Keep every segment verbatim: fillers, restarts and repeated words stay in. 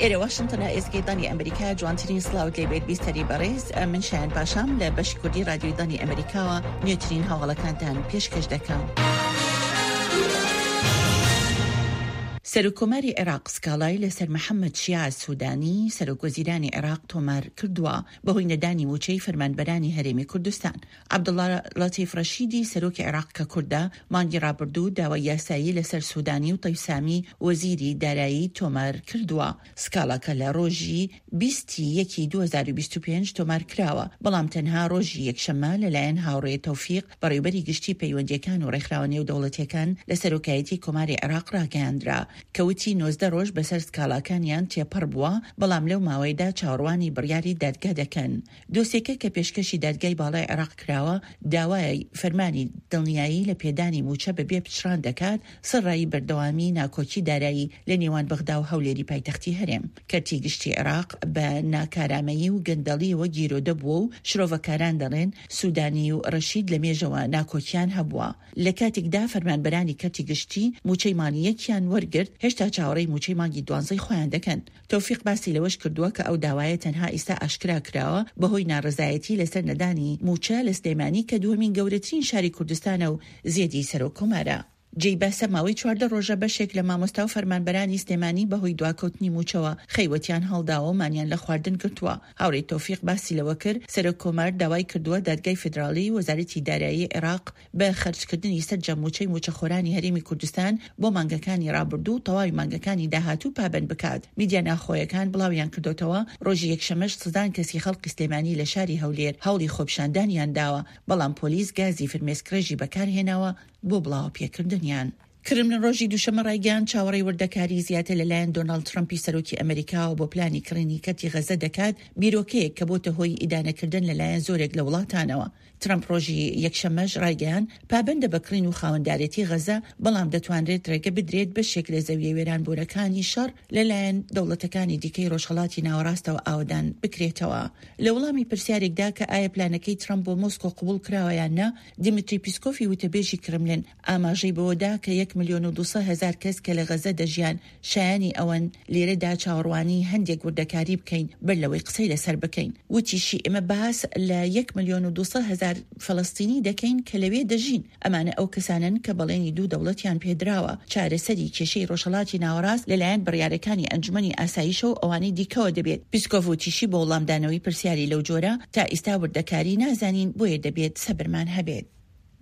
ئێرە واشنگتنە، ئێزگەی دانی ئەمریکا، جوانترین سڵاوت لێ بێت بیستەری بەڕێز. من شایان پاشام لە بەشی کوردی رادیۆی دانی ئەمریکاوە نوێترین هەواڵەکانتان پێشکەش دەکەم. سەرۆکۆماری عێراق سکاڵای لەسەر محەممەد شیاع سوودانی، سەرۆکوەزیرانی عێراق، تۆمار کردووە بەهۆی نەدانی مووچەی فەرمانبەرانی هەرێمی کوردستان. عەبدوڵڵا لەتیف ڕەشیدی، سەرۆکی عێراق کە کوردە، مانگی ڕابردوو داوای یاسایی لەسەر سوودانی و تەیف سامی، وەزیری دارایی، تۆمار کردووە. سکاڵاکە لە ڕۆژی بیستی یەکی دوو هەزار و بیست و پێنج تۆمار کراوە، بەڵام تەنها ڕۆژی یەکشەممە لەلایەن هاوڕێ تەوفیق، بەڕێوەبەری گشتی پەیوەندیەکان و ڕێکخراوە نێودەوڵەتیەکان لە سەرۆکایەتی کۆماری عێراق ڕاگەیاندرا، کە وتی نۆزدە ڕۆژ بەسەر سکاڵاکانیان تێپەڕ بووە، بەڵام لەو ماوەیدا چاوەڕوانی بڕیاری دادگا دەکەن. دۆسیەکە کە پێشکەشی دادگای باڵای عێراق کراوە، داوای فەرمانی دڵنیایی لە پێدانی مووچە بەبێ پچڕان دەکات، سەرڕای بەردەوامی ناکۆکی دارایی لە نێوان بەغدا و هەولێری پایتەختی هەرێم. کەرتی گشتی عێراق بە ناکارامەیی و گەندەڵیەوە گیرۆدە بووە و شرۆڤەکاران دەڵێن سوودانی و ڕەشید لە مێژەوە ناکۆکیان هەبووە. لە کاتێکدا فەرمانبەرانی کەرتی گشتی مووچەی مانگی یەکیان وەرگرت، هێشتا چاوەڕێی مووچەی مانگی دوانزەی خۆیان دەکەن. تەوفیق باسی لەوەش کردووە کە ئەو داوایە تەنها ئیستا ئاشکرا کراوە بەهۆی ناڕەزایەتی لەسەر نەدانی مووچە لە سلێمانی کە دووەمین گەورەترین شاری کوردستانە و زێدی سەرۆکۆمارە. جێی باسە ماوەی چواردە ڕۆژە بەشێک لە مامۆستا و فەرمانبەرانی سلێمانی بەهۆی دواکەوتنی مووچەوە خەیوەتیان هەڵداوە و مانیان لە خواردن گرتووە. هاوڕێی تەوفیق باسی لەوە کرد، سەرۆک کۆمار داوای کردووە دادگای فیدراڵی، وەزارەتی دارایی عێراق، بە خەرجکردنی سەرجەم مووچەی مووچەخۆرانی هەرێمی کوردستان بۆ مانگەکانی ڕابردوو و تەواوی مانگەکانی داهاتوو پابەند بکات. میدیا ناوخۆیەکان بڵاویان کردوتەوە، ڕۆژی یەکشەمەش سەدان کەسی خەڵکی سلێمانی لە شاری هەولێر هەوڵی خۆپیشاندانیان داوە، بەڵام پۆلیس گازی فرمێسکڕێژی بەکارهێناوە بۆ بڵاوە پێکردنیان. کرملین ڕۆژی دووشەممە ڕایگەیاند، چاوەڕێی وردەکاری زیاتر لەلایەن دۆناڵد ترەمپی سەرۆکی ئەمریکاوە بۆ پلانی کڕینی کەرتی غەزە دەکات، بیرۆکەیەک کە بۆتە هۆی ئیدانەکردن لەلایەن زۆرێک لە وڵاتانەوە. ترەمپ ڕۆژی یەکشەممەش ڕایگەیاند، پابەندە بە کڕین و خاوەندارێتی غەزە، بەڵام دەتوانرێت ڕێگە بدرێت بەشێک لە زەویە وێرانبوونەکانی شەڕ لەلایەن دەوڵەتەکانی دیکەی ڕۆژهەڵاتی ناوەڕاستەوە ئاوەدان بکرێتەوە. لە وەڵامی پرسیارێکدا کە ئایا پلانەکەی ترەمپ بۆ مۆسکۆ قبول کراوە یان نا، دیمیتری پیسکۆفی وتەبێژی کرملین ئاماژەی بەوەدا کە یەک ملیۆن و دوو سەد هەزار کەس کە لە غەزە دەژیان شایانی ئەوەن لێرەدا چاوەڕوانی هەندێک وردەکاری بکەین بەر لەوەی قسەی لەسەر بکەین. وتیشی، ئێمە باس لە یەک ملیۆن و دوو سەد هەزار فەلەستینی دەکەین کە لەوێ دەژین. ئەمانە ئەو کەسانن کە بەڵێنی دوو دەوڵەتیان پێدراوە. چارەسەری کێشەی ڕۆژهەڵاتی ناوەڕاست لەلایەن بڕیارەکانی ئەنجومەنی ئاسایشە و ئەوانەی دیکەوە دەبێت. پیسکۆڤ وتیشی، بۆ وڵامدانەوەی پرسیاری لەو جۆرە تا ئیستا وردەکاری نازانین، بۆیە دەبێت سەبرمان هەبێت.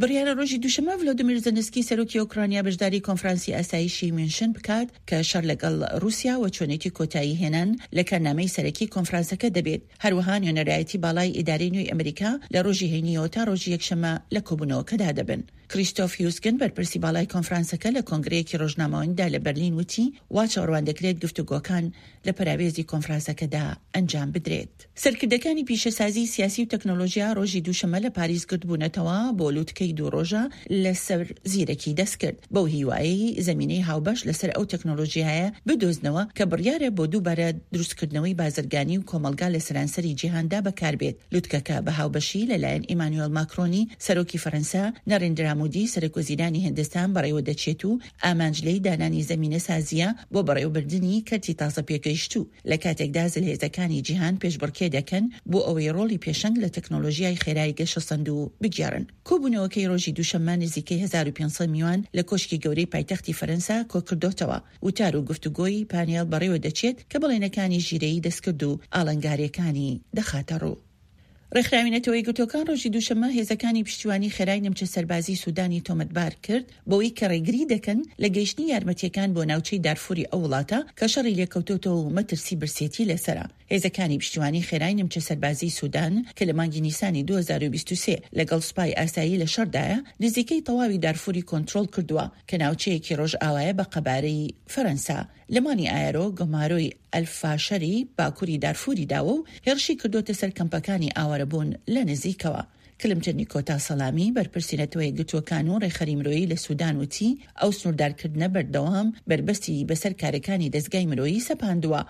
بڕیارە ڕۆژی دووشەممە ڤلۆدیمیر زێلێنسکی سەرۆکی ئۆکرانیا بەشداری کۆنفرانسی ئاسایشی میونشن بکات کە شەر لەگەڵ رووسیا و چۆنێتی کۆتایی هێنان لە کارنامەی سەرەکی کۆنفرانسەکە دەبێت. هەروەها نوێنەرایەتی باڵای ئیدارەی نوێی ئەمریکا لە ڕۆژی هەینیەوە تا ڕۆژی یەکشەممە لە کۆبوونەوەکەدا دەبن. کریستۆف هیوسکن، بەرپرسی باڵای کۆنفرانسەکە، لە کۆنگرەیەکی ڕۆژنامەوانیدا لە بەرلین وتی، وا چاوەڕوان دەکرێت گفتوگۆکان لە پەراوێزی کۆنفرانسەکەدا ئەنجام بدرێت. سەرکردەکانی پیشەسازی سیاسی و تەکنۆلۆژیا ڕۆژی دووشەممە لە پاریس گردبوونەتەوە بۆ لووتکەی دوو ڕۆژە لەسەر زیرەکی دەستکرد، بەو هیوایەی زەمینەی هاوبەش لەسەر ئەو تەکنۆلۆژیایە بدۆزنەوە کە بڕیارە بۆ دووبارە دروستکردنەوەی بازرگانی و کۆمەڵگا لە سەرانسەری جیهاندا بەکاربێت. لووتکەکە بە هاوبەشی لەلایەن ئیمانوێل ماکرۆنی سەرۆکی فەرەنسا، نەرێندرا مودی سەرۆک وەزیرانی هیندستان بەڕێوە دەچێت و ئامانج لێی دانانی زەمینە سازیە بۆ بەڕێوەبردنی کەرتی تازە پێگەیشتوو، لە کاتێکدا زلهێزەکانی جیهان پێشبڕکێ دەکەن بۆ ئەوەی ڕۆڵی پێشەنگ لە تەکنۆلۆژیای خێرای گەشەسەندوو بگێڕن. کۆبوونەوەکەی ڕۆژی دووشەممە نزیکەی هەزار و پێنج سەد میوان لە کۆشکی گەورەی پایتەختی فەرەنسا کۆکردۆتەوە. وتار و گفتوگۆی پانێڵ بەڕێوە دەچێت کە بەڵێنەکانی ژیرەیی دەستکرد و ئاڵنگاریەکانی دەخاتە ڕوو. ڕێکخراوی نەتەوە یەکگرتووەکان ڕۆژی دووشەممە هێزەکانی پشتیوانی خێرای نیمچە سەربازی سوودانی تۆمەتبار کرد بەوەی کە ڕێگری دەکەن لە گەیشتنی یارمەتیەکان بۆ ناوچەی دارفوری ئەو وڵاتە کە شەڕی لێکەوتۆتەوە و مەترسی برسێتی لەسەرە. هێزەکانی پشتیوانی خێرای نیمچە سەربازی سوودان کە لە مانگی نیسانی دوو هەزار و بیست و سێ لەگەڵ سوپای ئاسایی لە شەڕدایە، نزیکەی تەواوی دارفوری کۆنترۆڵ کردووە کە ناوچەیەکی ڕۆژئاوایە بە قەبارەی فەرەنسا. لە مانی ئایەرۆ گەمارۆی ئەلفاشەری باکووری دارفوری داوە و هێرشی کردوتە سەر کەمپەکانی ئاوارەبوون لە نزیکەوە. کلمتر نیکۆتا سەلامی، بەرپرسی نەتەوە یەکگرتووەکان و ڕێکخەری مرۆیی لە سوودان، وتی ئەو سنووردارکردنە بەردەوام بربەستی بەسەر کارەکانی دەستگای مرۆیی سەپاندووە.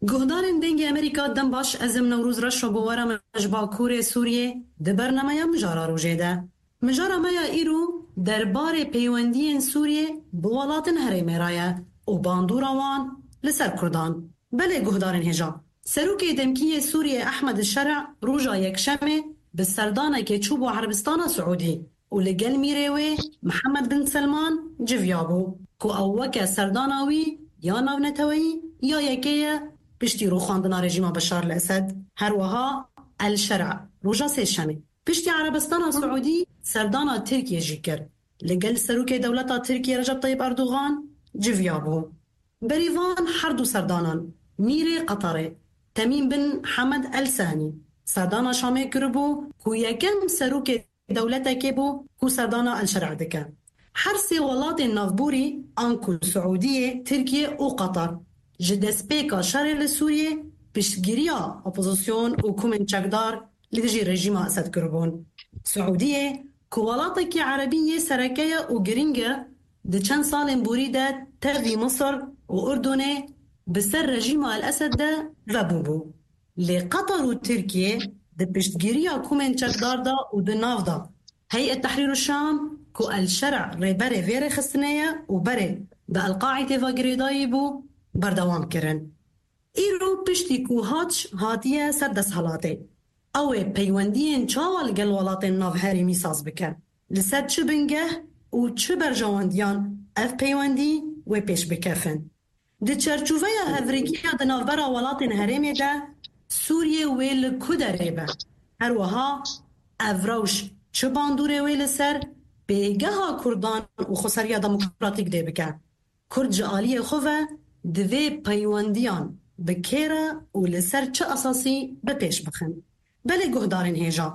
Guhdarên Dengê Amerîka, dem baş, ez im Newroz Reşo, bi we re me ji Bakurê Sûriyê di bernameya Mijara Rojê de. Mijara me ya îro derbarê peywendiyên Sûriyê bi welatên herêmê re ye û bandora wan li ser Kurdan. Belê guhdarên hêja, Serokê Demkî yê Sûriyê Ehmed Şer'a roja Yekşemê bi serdanekê çûbû Erebistana Siûdî û li gel mîrê wê Mihemed bin Selman civiyabû, ku ew weke serdana wî ya navneteweyî ya yekê ye piştî rûxandina rejîma Beşar el-Esed. Her wiha El Şer'a roja Sêşemê piştî Erebistana Siûdî serdana Tirkiyê jî kir. Li gel serokê dewleta Tirkiyê Recep Tayyip Erdogan civiyabû. Berî van her du serdanan, mîrê Qeterê Temîm bin Hemed El Sanî serdana Şamê kiribû, ku yekem serokê dewletekê bû ku serdana El Şer'a dike. Her sê welatên navborî, anku Siûdiyê, Tirkiye û Qeter, ji destpêka şerê li Sûriyê piştgiriya opozîsyon û komên çekdar li dijî rejîma Esed kiribûn. Siûdiyê, ku welatekî erebî yê sereke ye û giring e, di çend salên borî de tevî Misir û Urdunê bi ser rejîma El Esed de vebûbû. Lê Qeter û Tirkiye di piştgiriya komên çekdar de û di nav de Heyet Tehrîr Şam, ku El Şer'a rêberê vê rêxistinê ye û berê bi El Qaîdê ve girêdayî bû, berdewam kirin. Îro piştî ku Hac hatiye ser desthilatê, ew ê peywendiyên çawa li gel welatên navherêmî saz bike? Li ser çi bingeh û çi berjewendiyan ev peywendî wê pêş bikefin? Di çerçoveya hevrikiya di navbera welatên herêmê de Sûriyê wê li ku derê be? Her wiha ev rewş çi bandorê wê li ser pêgeha Kurdan û xweseriya demokratîk dê bike? Kurd ji aliyê xwe ve divê peywendiyan bi kê re û li ser çi esasî bi pêş bixin. Belê guhdarên hêja,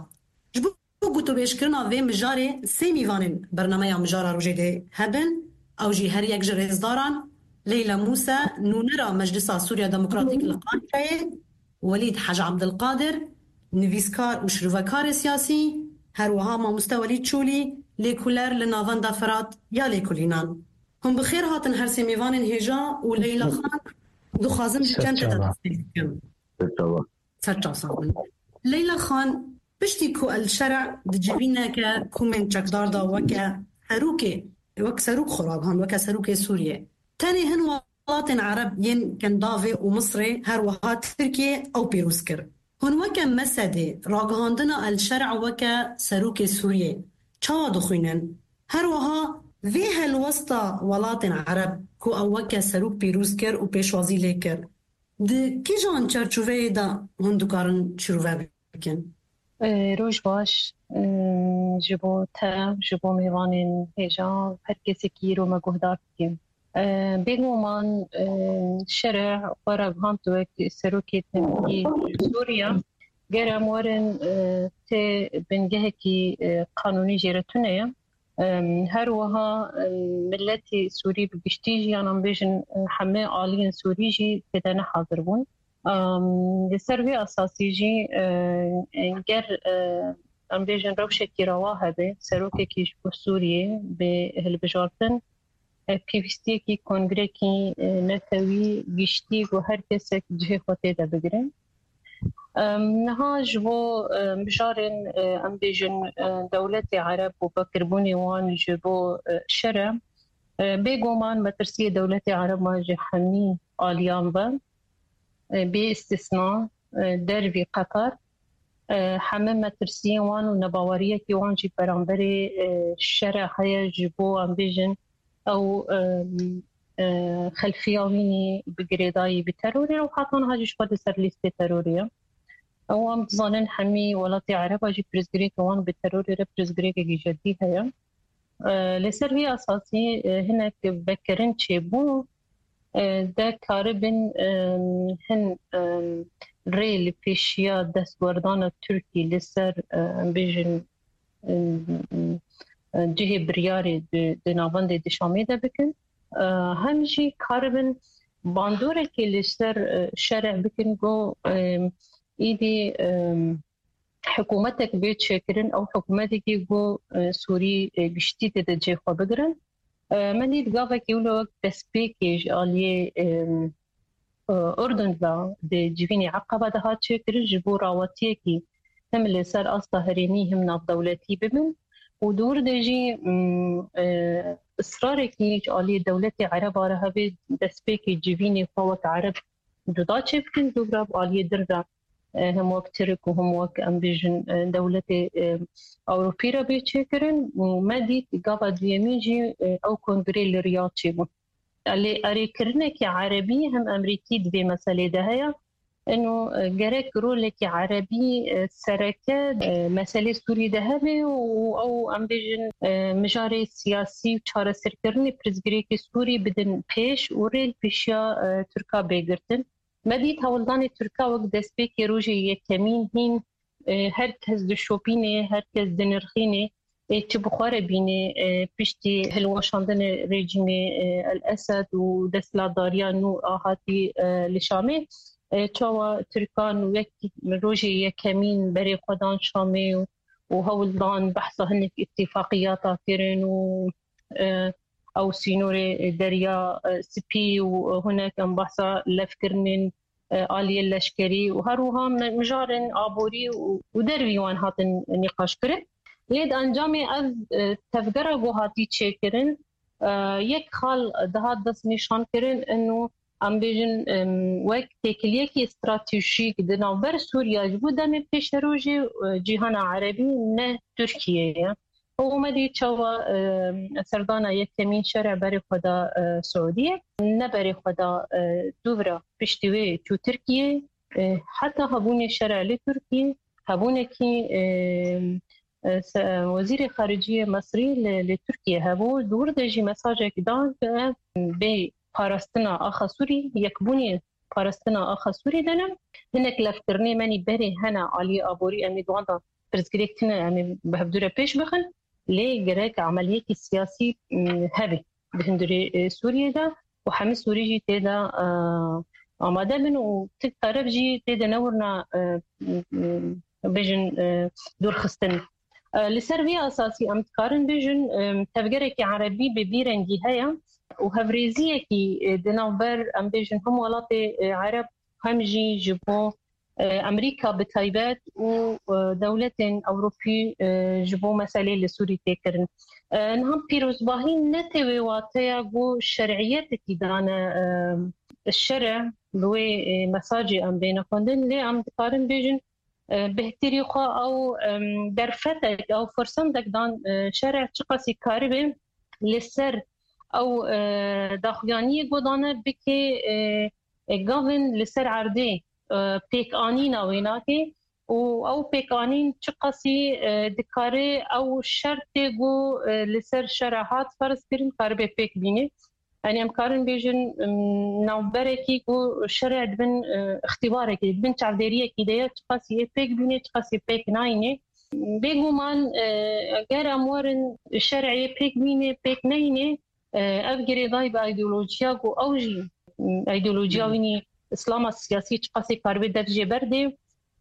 ji bo gotûbêjkirina vê mijarê sê mîvanên bernameya Mijara Rojê dê hebin. Ew jî her yek ji rêzdaran Leyla Mûse, nûnera Meclisa Sûriya Demokratîk li Qanqayê, Welîd Hec Abdilqadir, nivîskar û şirovekarê siyasî, her wiha mamoste Welîd Çolî, lêkoler li Navenda Firat ya Lêkolînan. Hûn bi xêr hatin her sê mêvanên hêja û Leyla Xan, dixwazim ji çend tê de destpêk bikim. Serçav sax bin. Leyla Xan, piştî ku El Şer'a di civîneke komên çekdar de weke serokê, wek serok xwe ragihand, weke serokê Sûriyê, tenê hin welatên Ereb yên Kendavê û Misrê, her wiha Tirkiye ew pîroz kir. Hûn weke Mesedê ragihandina El Şer'a weke serokê Sûriyê çawa dixwînin? Her wiha vê helwesta welatên Ereb ku ew weke serok pîroz kir û pêşwazî lê kir, di kîjan çarçoveyê de hûn dikarin şirove bikin? E, roj baş, e, ji bo te, ji bo mêvanên hêja, her kesekî îro me guhdar dikin. E, bêguman, e, Şer'a xwe ragihand wek serokê temkî Sûriya. Ger em werin, e, tê bingehekî, e, qanûnî jê re tune ye. Em, her wiha, em, miletî Sûrî bi giştî jî, yan em bêjin, e, hemê aliyên Sûrî jî tê de ne hazir bûn. Em, li ser vê esasî jî, e, e, ger, e, em bêjin rewşekî rewa hebe, serokekî ji bo Sûriyê bê hilbijartin, e, pêwîstiyekî kongrekî, e, netewî giştî ku her kesek cihê xwe tê de bigire. Em, niha ji bo, e, mijarên, e, em bêjin, e, dewletê Ereb û vekirbûnê wan ji bo, e, Şer'a, e, bêguman metirsiyê dewletê Ereba ji hemî aliyan ve, e, bê îstisna, e, dervî Qeter, e, heme metirsiyên wan û nebaweriyekî wan jî beramberê, e, Şer'a heye ji bo, em bêjin, ew, e, e, xelfiya wînî bi girêdayî bi terorê û heta niha jî ji xwe di ser lîstê terorê ye. Ew em dizanin hemî welatê Ereba jî pirsgirêkê wan bi terorê re pirsgirêkekî jedî heye. E, li ser vî esasî, e, hinek vekirin çêbû, e, de karibin, e, hin, e, rê li pêşiya destwerdana Tirkî li ser, e, em bêjin, e, e, cihê biryarê di, di navendê di Şamê de bikin. E, hem jî karibin bandorekê li ser, e, Şer'a bikin ku, e, îdî, e, hikûmetek bê çêkirin, ew hikûmetekî ku, e, Sûrî, e, giştî tê de cê xwe bigirin. E, me dît gavekî wilo wek destpêkê ji aliyê, e, e, Urdun de di civînê Eqaba de hat çêkirin ji bo rawatiyekî him li ser asta herêmî him navdewletî bibin û di wir de jî, mm, e, israrekî ji aliyê dewletê Ereba re hebe destpêkê civînê xwe wek Ereb cuda çêbikin, dûvra bi aliyê din re, e, him wek Tirk û him wek, em bêjin, e, dewletê, e, Ewropî re bê çêkirin û me dît gava duyemîn jî, e, ew kongrê li Riyad çêbû. Lê erêkirinekî Erebî him Emerîkî di vê meselê de heye. Eno, e, gerek rolekî Erebî, e, sereke, e, meselê Sûrî de hebe û ew, em bêjin, e, mijarê siyasî û çareserkirinê pirsgirêkê Sûrî bidin pêş û rê li pêşiya, e, Tirka bê girtin. Me dît hewldanê Tirka wek destpêkê rojê yekemîn hîn, e, her kes dişopînê, her kes dinirxînê, ê çi bi xwe re bînê, e, piştî hilweşandinê rejîmê, e, El Esed û desthilatdariya nû a hatî, e, li Şamê, e, çawa Tirkan wek rojê yekemîn berê xwe dan Şamê û, û hewl dan behsa hinek îtîfaqiyata kirin û, e, ew sînorê Derya, e, Spî û hinek em behsa levkirinên, e, aliyê leşkerî û her wiha me-, mijarên aborî û, û dervî wan hatin nîqaş kirin. Lê di encamê ev, e, tevgera ku hatî çêkirin, e, yek xal dihat dest nîşan kirin, eno em bêjin, em, wek têkiliyekî stratejîk di navber Sûriya ji bo demê pêşerojê, e, cîhana Erebî ne Tirkiye ye. Û me dî çawa, e, serdana yekemîn şere berê xwe da, e, Siûdiyê, ne berê xwe da, e, dûvra piştî wê çû Tirkiye, e, heta hebûnê şere li Tirkiye, hebûnekî, e, e, se-, wezîrê xariciyê Mesrî li, li Tirkiye hebû, di wir de jî mesajek da, e, bê parastina axa Sûrî, yekbûnê parastina axa Sûrî de ne. Hinek levkirinê me nî berê hene aliyê aborî, em ê di wan de pirsgirêk tune, em ê bi hevdû re pêş bixin. Lê gerek emeliyekî siyasî, m, hebe di hundirê, e, Sûriyê de û hemî Sûrî jî tê de, e, amade bin û tik taraf jî tê de newirna, e, m, m, bêjin, e, dûrxistin. E, li ser vê esasî em dikarin bêjin, e, tevgerekî erebî bi vî rengî heye û hevrêziyekî, e, di navber, em bêjin, him welatê, e, ereb hem jî ji bo, e, Amerîka bi taybet û, e, dewletên Ewropî, e, ji bo meselê li Sûrî tê kirin. E, niha pîrozbahî ne tê wê wateya ku şer'iyetekî dane, e, şere, bi wê, e, mesajê em bêne xwendin, lê em dikarin bêjin, e, bêhtirî xwe ew, em, derfetek, ew fursatek dan, e, şere çiqasî karibe li ser ew, e, daxuyaniyê ku dane bike, e, e, gavin li ser erdê, e, pêkanîna wê nake û ew pêkanîn çiqasî, e, dikare ew şertê ku, e, li ser şere hat ferz kirin, karibe pêk bîne. Yanî em karin bêjin, em, navberekî ku şere di bin, e, îxtîbarekî, di bin çavdêriyekî de ye, çiqasî yê pêk bîne, çiqasî pêk nayîne. Bêguman, e, eger em werin şer'ê pêk bîne, pêk neyne, e, ev girêdayî bi îdeolojiya ku ew jî, m, îdeolojiya wî nî îslama siyasî çiqasî karibe dev jê berdê,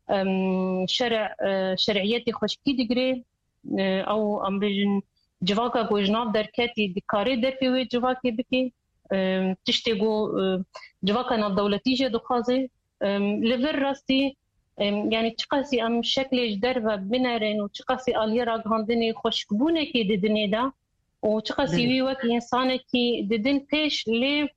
em, şere-, e, şer'iyetê xweşikî digire, e, ew em bêjin civaka ku ji nav derketî dikare dervê wê civakê bike, e, tiştê ku, e, civaka navdewletî jê dixwaze, e, li vir rastî, e, yanî çiqasî em şeklê ji derve binerin û çiqasî aliyê ragihandinê xweşikbûnekê didinê de û çiqasî wî wek însanekî didin pêş lê,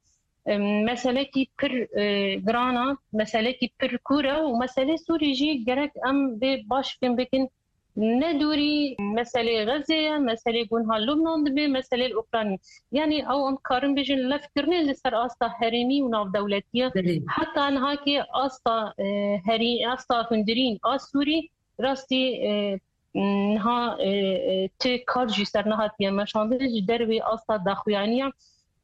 e, meselekî pir, e, giran e, meselekî pir kûr e û meselê Sûrî jî gerek em bê baş fêm bikin. Ne dûrî meselê Xezê ye, meselê ku niha Lubnan dibe, meselê li Ukraynê. Yanî ew em karin bêjin levkirinê li ser asta herêmî û navdewletî ye. Belê. Heta niha ki asta, e, herî-, asta hundirîn a Sûrî rastî, e, niha, e, e, ti kar jî ser nehatiye meşandin ji dervê asta daxuyaniya.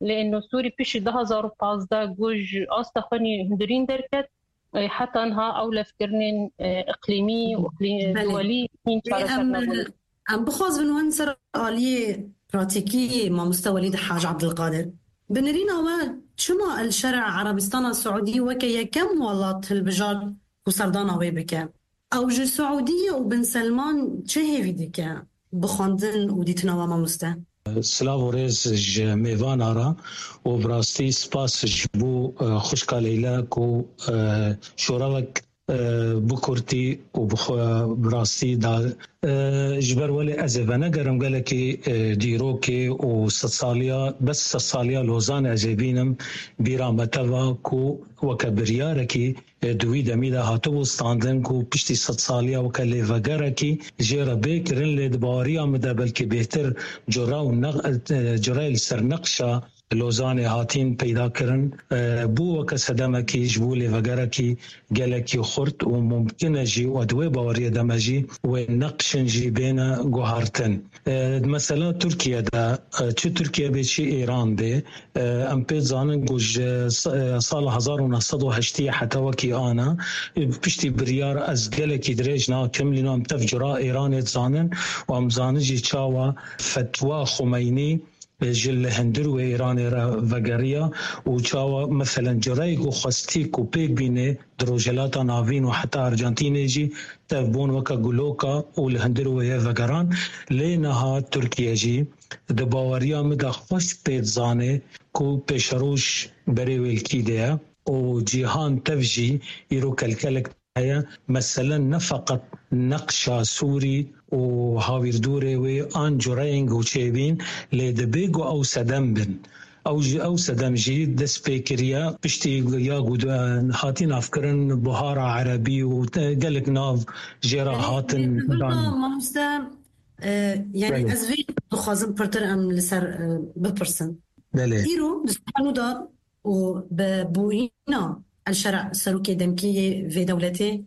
Lê eno Sûrî piştî du hazar û pazdeh ku ji asta xwe nî hundirîn derket, e, heta niha ew levkirinên, e, iqlîmî û iqlî-, Belê. Duwelî hîn Ê, çareser em, nebûne. Em bixwazin wan ser aliyê pratîkî mamoste Welîd Haj Abdulkadir. Bi nerîna we çima El Şer'a Erebistana Siûdî weke yekem welat hilbijart ku serdana wê bike? Ew ji Siûdiyê û Bin Selman çi hêvî dike? Bi xwendin û dîtina we mamoste. Silav û rêz ji mêvana re û bi rastî spas ji bo, e, xwişka Leyla ku, e, şoravek, e, bi kurtî û bi xwe bi rastî da. E, ji ber welê ez ê venegerim gelekî, e, dîrokê û sedsaliya, bes sedsaliya Lozanê ez ê bînim bîra me teva ku weke biryarekî e, di wî demî de hatibû standin ku piştî sedsaliya weke lêvegerekî jê re bê kirin, lê di baweriya min de belkî bêhtir cura û neq-, e, cureyê li ser neqşa Lozanê hatîn peyda kirin, e, bû weke sedemekî ji bo lêvegerekî gelekî xurt û mumkin e jî, û di wê baweriyê de me jî wê neqşin jî bêne guhartin. E, mesela Tirkiye de, e, çi Tirkiye bê, çi Îran bê, e, em pê zanin ku ji s-, e, sala hezar û neh sed û heştê heta wekî ana, e, piştî biryar ez gelekî dirêj nakim, lîno em tev cura Îranê dizanin û em zanin jî çawa fetwa Xumeynî, e, ji li hundir wê Îranê re vegeriya û çawa, meselen, cureyê ku xwestî ku pêk bîne di Rojhilata Navîn û heta Arjantînê jî tev bûn weke guloka û li hundir wê ye vegeran. Lê niha Tirkiye jî di baweriya min de xweş pê dizane ku pêşeroj berê wê li kî de ye û cîhan tev jî îro kelkelek heye. Meselen ne feqet neqşa Sûrî û hawîrdûrê wê an cureyên ku çêbîn, lê dibê ku ew sedem bin. Ew jî, ew sedem jî dest pê kiriye piştî ya ku de-, hatî navkirin buhara erebî û te-, gelek nav jê re hatin dan. Mamoste, e, yani Belê. Ez vê dixwazim pirtir em li ser, e, bipirsin. Belê. Îro di Sihanoda û bi bûyîna El Şera serokê demkî yê vê dewletê,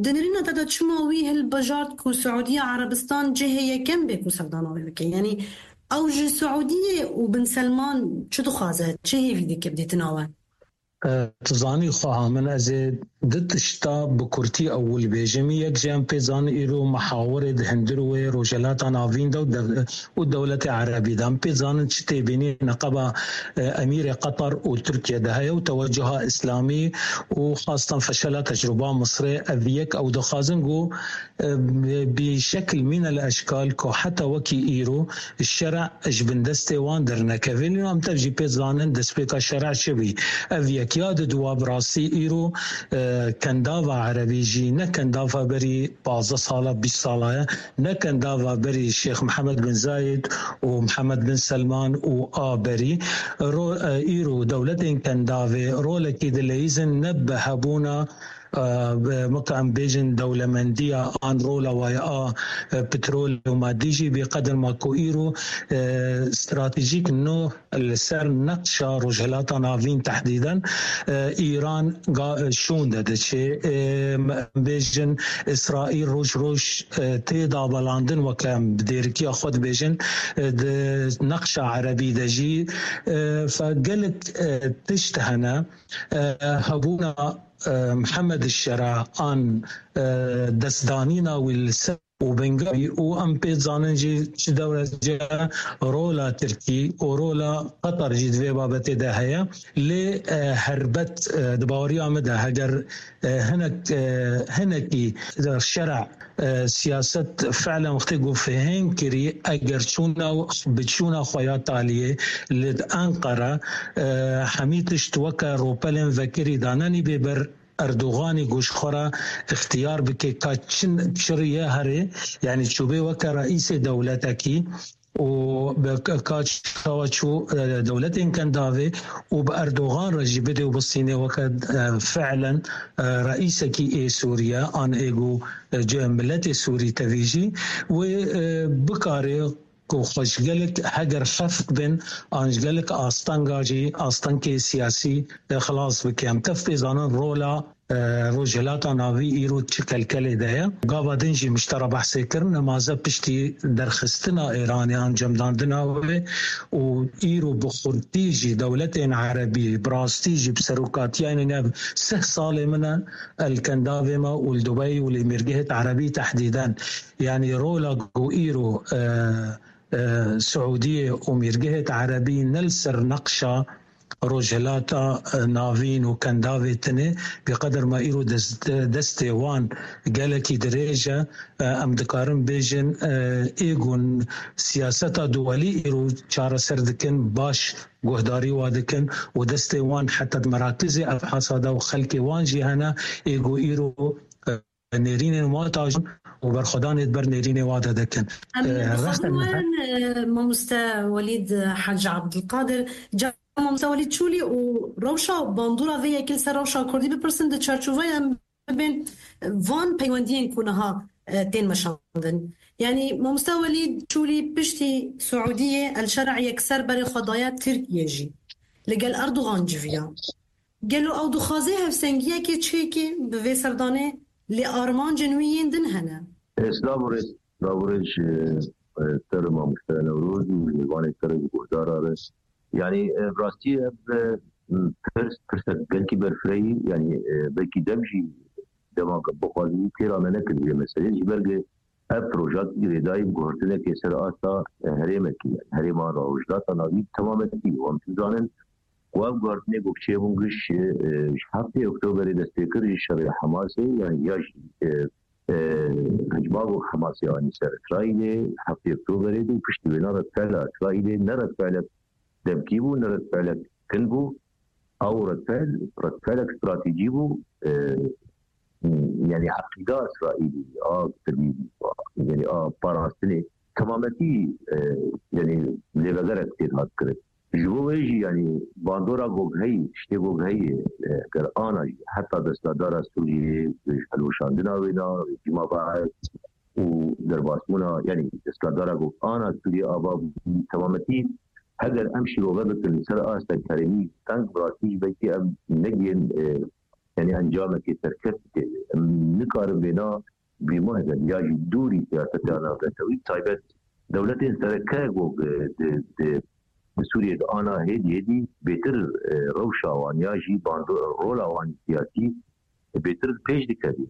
di nirîna te de çima wî hilbijart ku Siûdiya Erebistan cihê yekem bê ku serdana wê bike? Yanî ew ji Siûdiyê û Bin Selman çi dixwaze, çi hêvî dike bi dîtina we? E, tu zanî, xweha min, ez ê du tişta bi kurtî ewil bêjim. Yek jî em pê zanin îro mihawirê di hundir wê Rojhilata Navîn de û dev-, û dewletê Erebî de. Em pê zanin çi têbînî neqeba, e, Emîrê Qetar û Tirkiye de heye û tewecuha îslamî û xastan feşela tecrûba Misrê. Ev yek, ew dixwazin ku, e, bi şekil mîne li eşkal ku heta wekî îro şera ji bin destê wan dernekeve. Lê em tev jî pê zanin destpêka şera çi bî. Ev yek ya di dua bi rastî îro, e, kendava erebî jî ne kendava berî pazdeh sala, bîst sala ye, ne kendava berî Şêx Mihemed bin Zayed û Mihemed bin Selman û a berî. Ro-, e, îro dewletên kendavê rolekî dileyîzin ne bi hebûna, e, bi, weke em bêjin dewlemendiya an rola waya a, e, petrol û madî jî bê qedir ma ku îro, e, stratejîk nû li ser neqşa Rojhilata Navîn tehdîden, e, Îran ga-, şûnde diçe. E, em bêjin Îsraîl roj roj, e, tê dabelandin, weke em bi dêrikiya xwe dibêjin, e, di neqşa erebî de jî, e, fe gelek, e, tişt hene, e, hebûna, e, Mihemed Şera an, e, destdanîna wî li ser û bingavî û em pê zanin jî çi derecê rola Tirkî û rola Qetar jî di vê babetê de heye. Lê, e, helbet, e, di baweriya min de heger, e, hinek, e, hinekî şera, e, siyaset fiilen wextê ku fihêm kirî, eger çûna, bi çûna xwe ya taliyê li Enqere, e, hemî tişt weke ropelên vekirî danenî bê ber Erdoganî ku ji xwe re ixtiyar bike ka çi, çi riye here, yanî çûbê weke reîsê dewletekî û bi ka, ka çawa çû, e, dewletên kendavê û bi Erdogan re jî bidê û bistînê weke, e, fiilen, e, reîsekî ê Sûriye an ê ku, e, ce-, miletê Sûrî tevî jî wê, e, bikare ku xwe ji gelek heger xeft bin an ji gelek astanga jî, astengê siyasî, e, xilas bike. Em tev pê zanin rola, e, Rojhilata Navî îro çi kelkelê de ye. Gava din jî min ji te re behsê kir, nemaze piştî derxistina Îranê an cemdandina wê û îro bi xurtî jî dewletên erebî, bi rastî jî bi serokatiya nîne sih salê min e, el kendavê me û li Dubey û li mêrgehêt erebî tehdîden. Yanî rola ku îro, e, e, Siûdiyê û mêrgehêt erebî ne li ser neqşa, Rojhilata, e, Navîn û Kendavê tine, bi qeder ma îro dest-, destê wan gelekî dirêj e, e, em dikarin bêjin, e, ê ku siyaseta duwelî îro çareser dikin, baş guhdarî wa dikin û destê wan heta di merakizê evhasa de û xelkê wan jî hene, ê ku îro, e, nêrînên wan tajon û berxwedanê di ber nêrînê wa de dikin. Em E, dixwazin rexne werin, e, mamoste Welîd Hec Abdulkadir. Ca mamoste Welîd Çûlî û rewşa bandora vê yekê li ser rewşa Kurdî bipirsin di çarçoveya em bibên van peywendiyên ku niha, e, tên meşandin. Yanî mamoste Welîd Çûlî piştî Siûdiyê El Şer'a yekser berê xwe daye Tirkiyê jî. Li gel Erdogan civiya. Gelo ew dixwaze hevsengiyekê çêke bi vê serdanê, lê armancên wî yên din hene? Silav û rêz, silav û rêz ji, e, te re mamoste Newroz û mêvanê te re ji guhdara re. Yanî, e, bi rastî ev, e, pirs, pirsek gelkî berfirehî, yanî, e, belkî dev jî dema bixwazî têra me nekir vê meselê. Ji ber ku ev proja girêdayî bi guhertinekê ser asta, e, herêmekî, yanî herêma Rojhilata Navîn bi temametî. Wan dizanin ku ev guhertinê ku çêbûn giş, e, ji heftê Oktoberê dest pê kir ji şerê Hamasê, yanî ya jî, e, e, hicma ku Hamasê anî ser Îsraîlê heftê Oktoberê de û piştî wêna redfeela Îsraîlê ne redfeelek demkî bû, ne redfeelek kin bû. Ew redfel, redfelek stratejî bû. E, yanî eqîda Îsraîlî, a tevî, yanî a parastinê temametî, e, yanî lêvegerek tê hat kirin. Ji bo wê jî, yanî bandora gog heyî, tiştê gog heyî, e, ger ana jî heta destadara Sûriyê, ji hilweşandina wê na, rejîma Baez û derbasbûna, yanî destadara gog ana Sûriyê ava bû temametî. Heger em şîrove bikin ser astek herêmî teng, bi rastî jî belkî em negihên, e, yanî encamekê serkeft dikeve. Em nikarin vêna bîmahêdin ya jî dûrî siyaseta navnetewî, taybet dewletên sereke ku di, di, di, di Sûriyê de ana hêdî hêdî bêtir, e, rewşa wan ya jî bando-, rola wan siyasî bêtir pêş dikevî.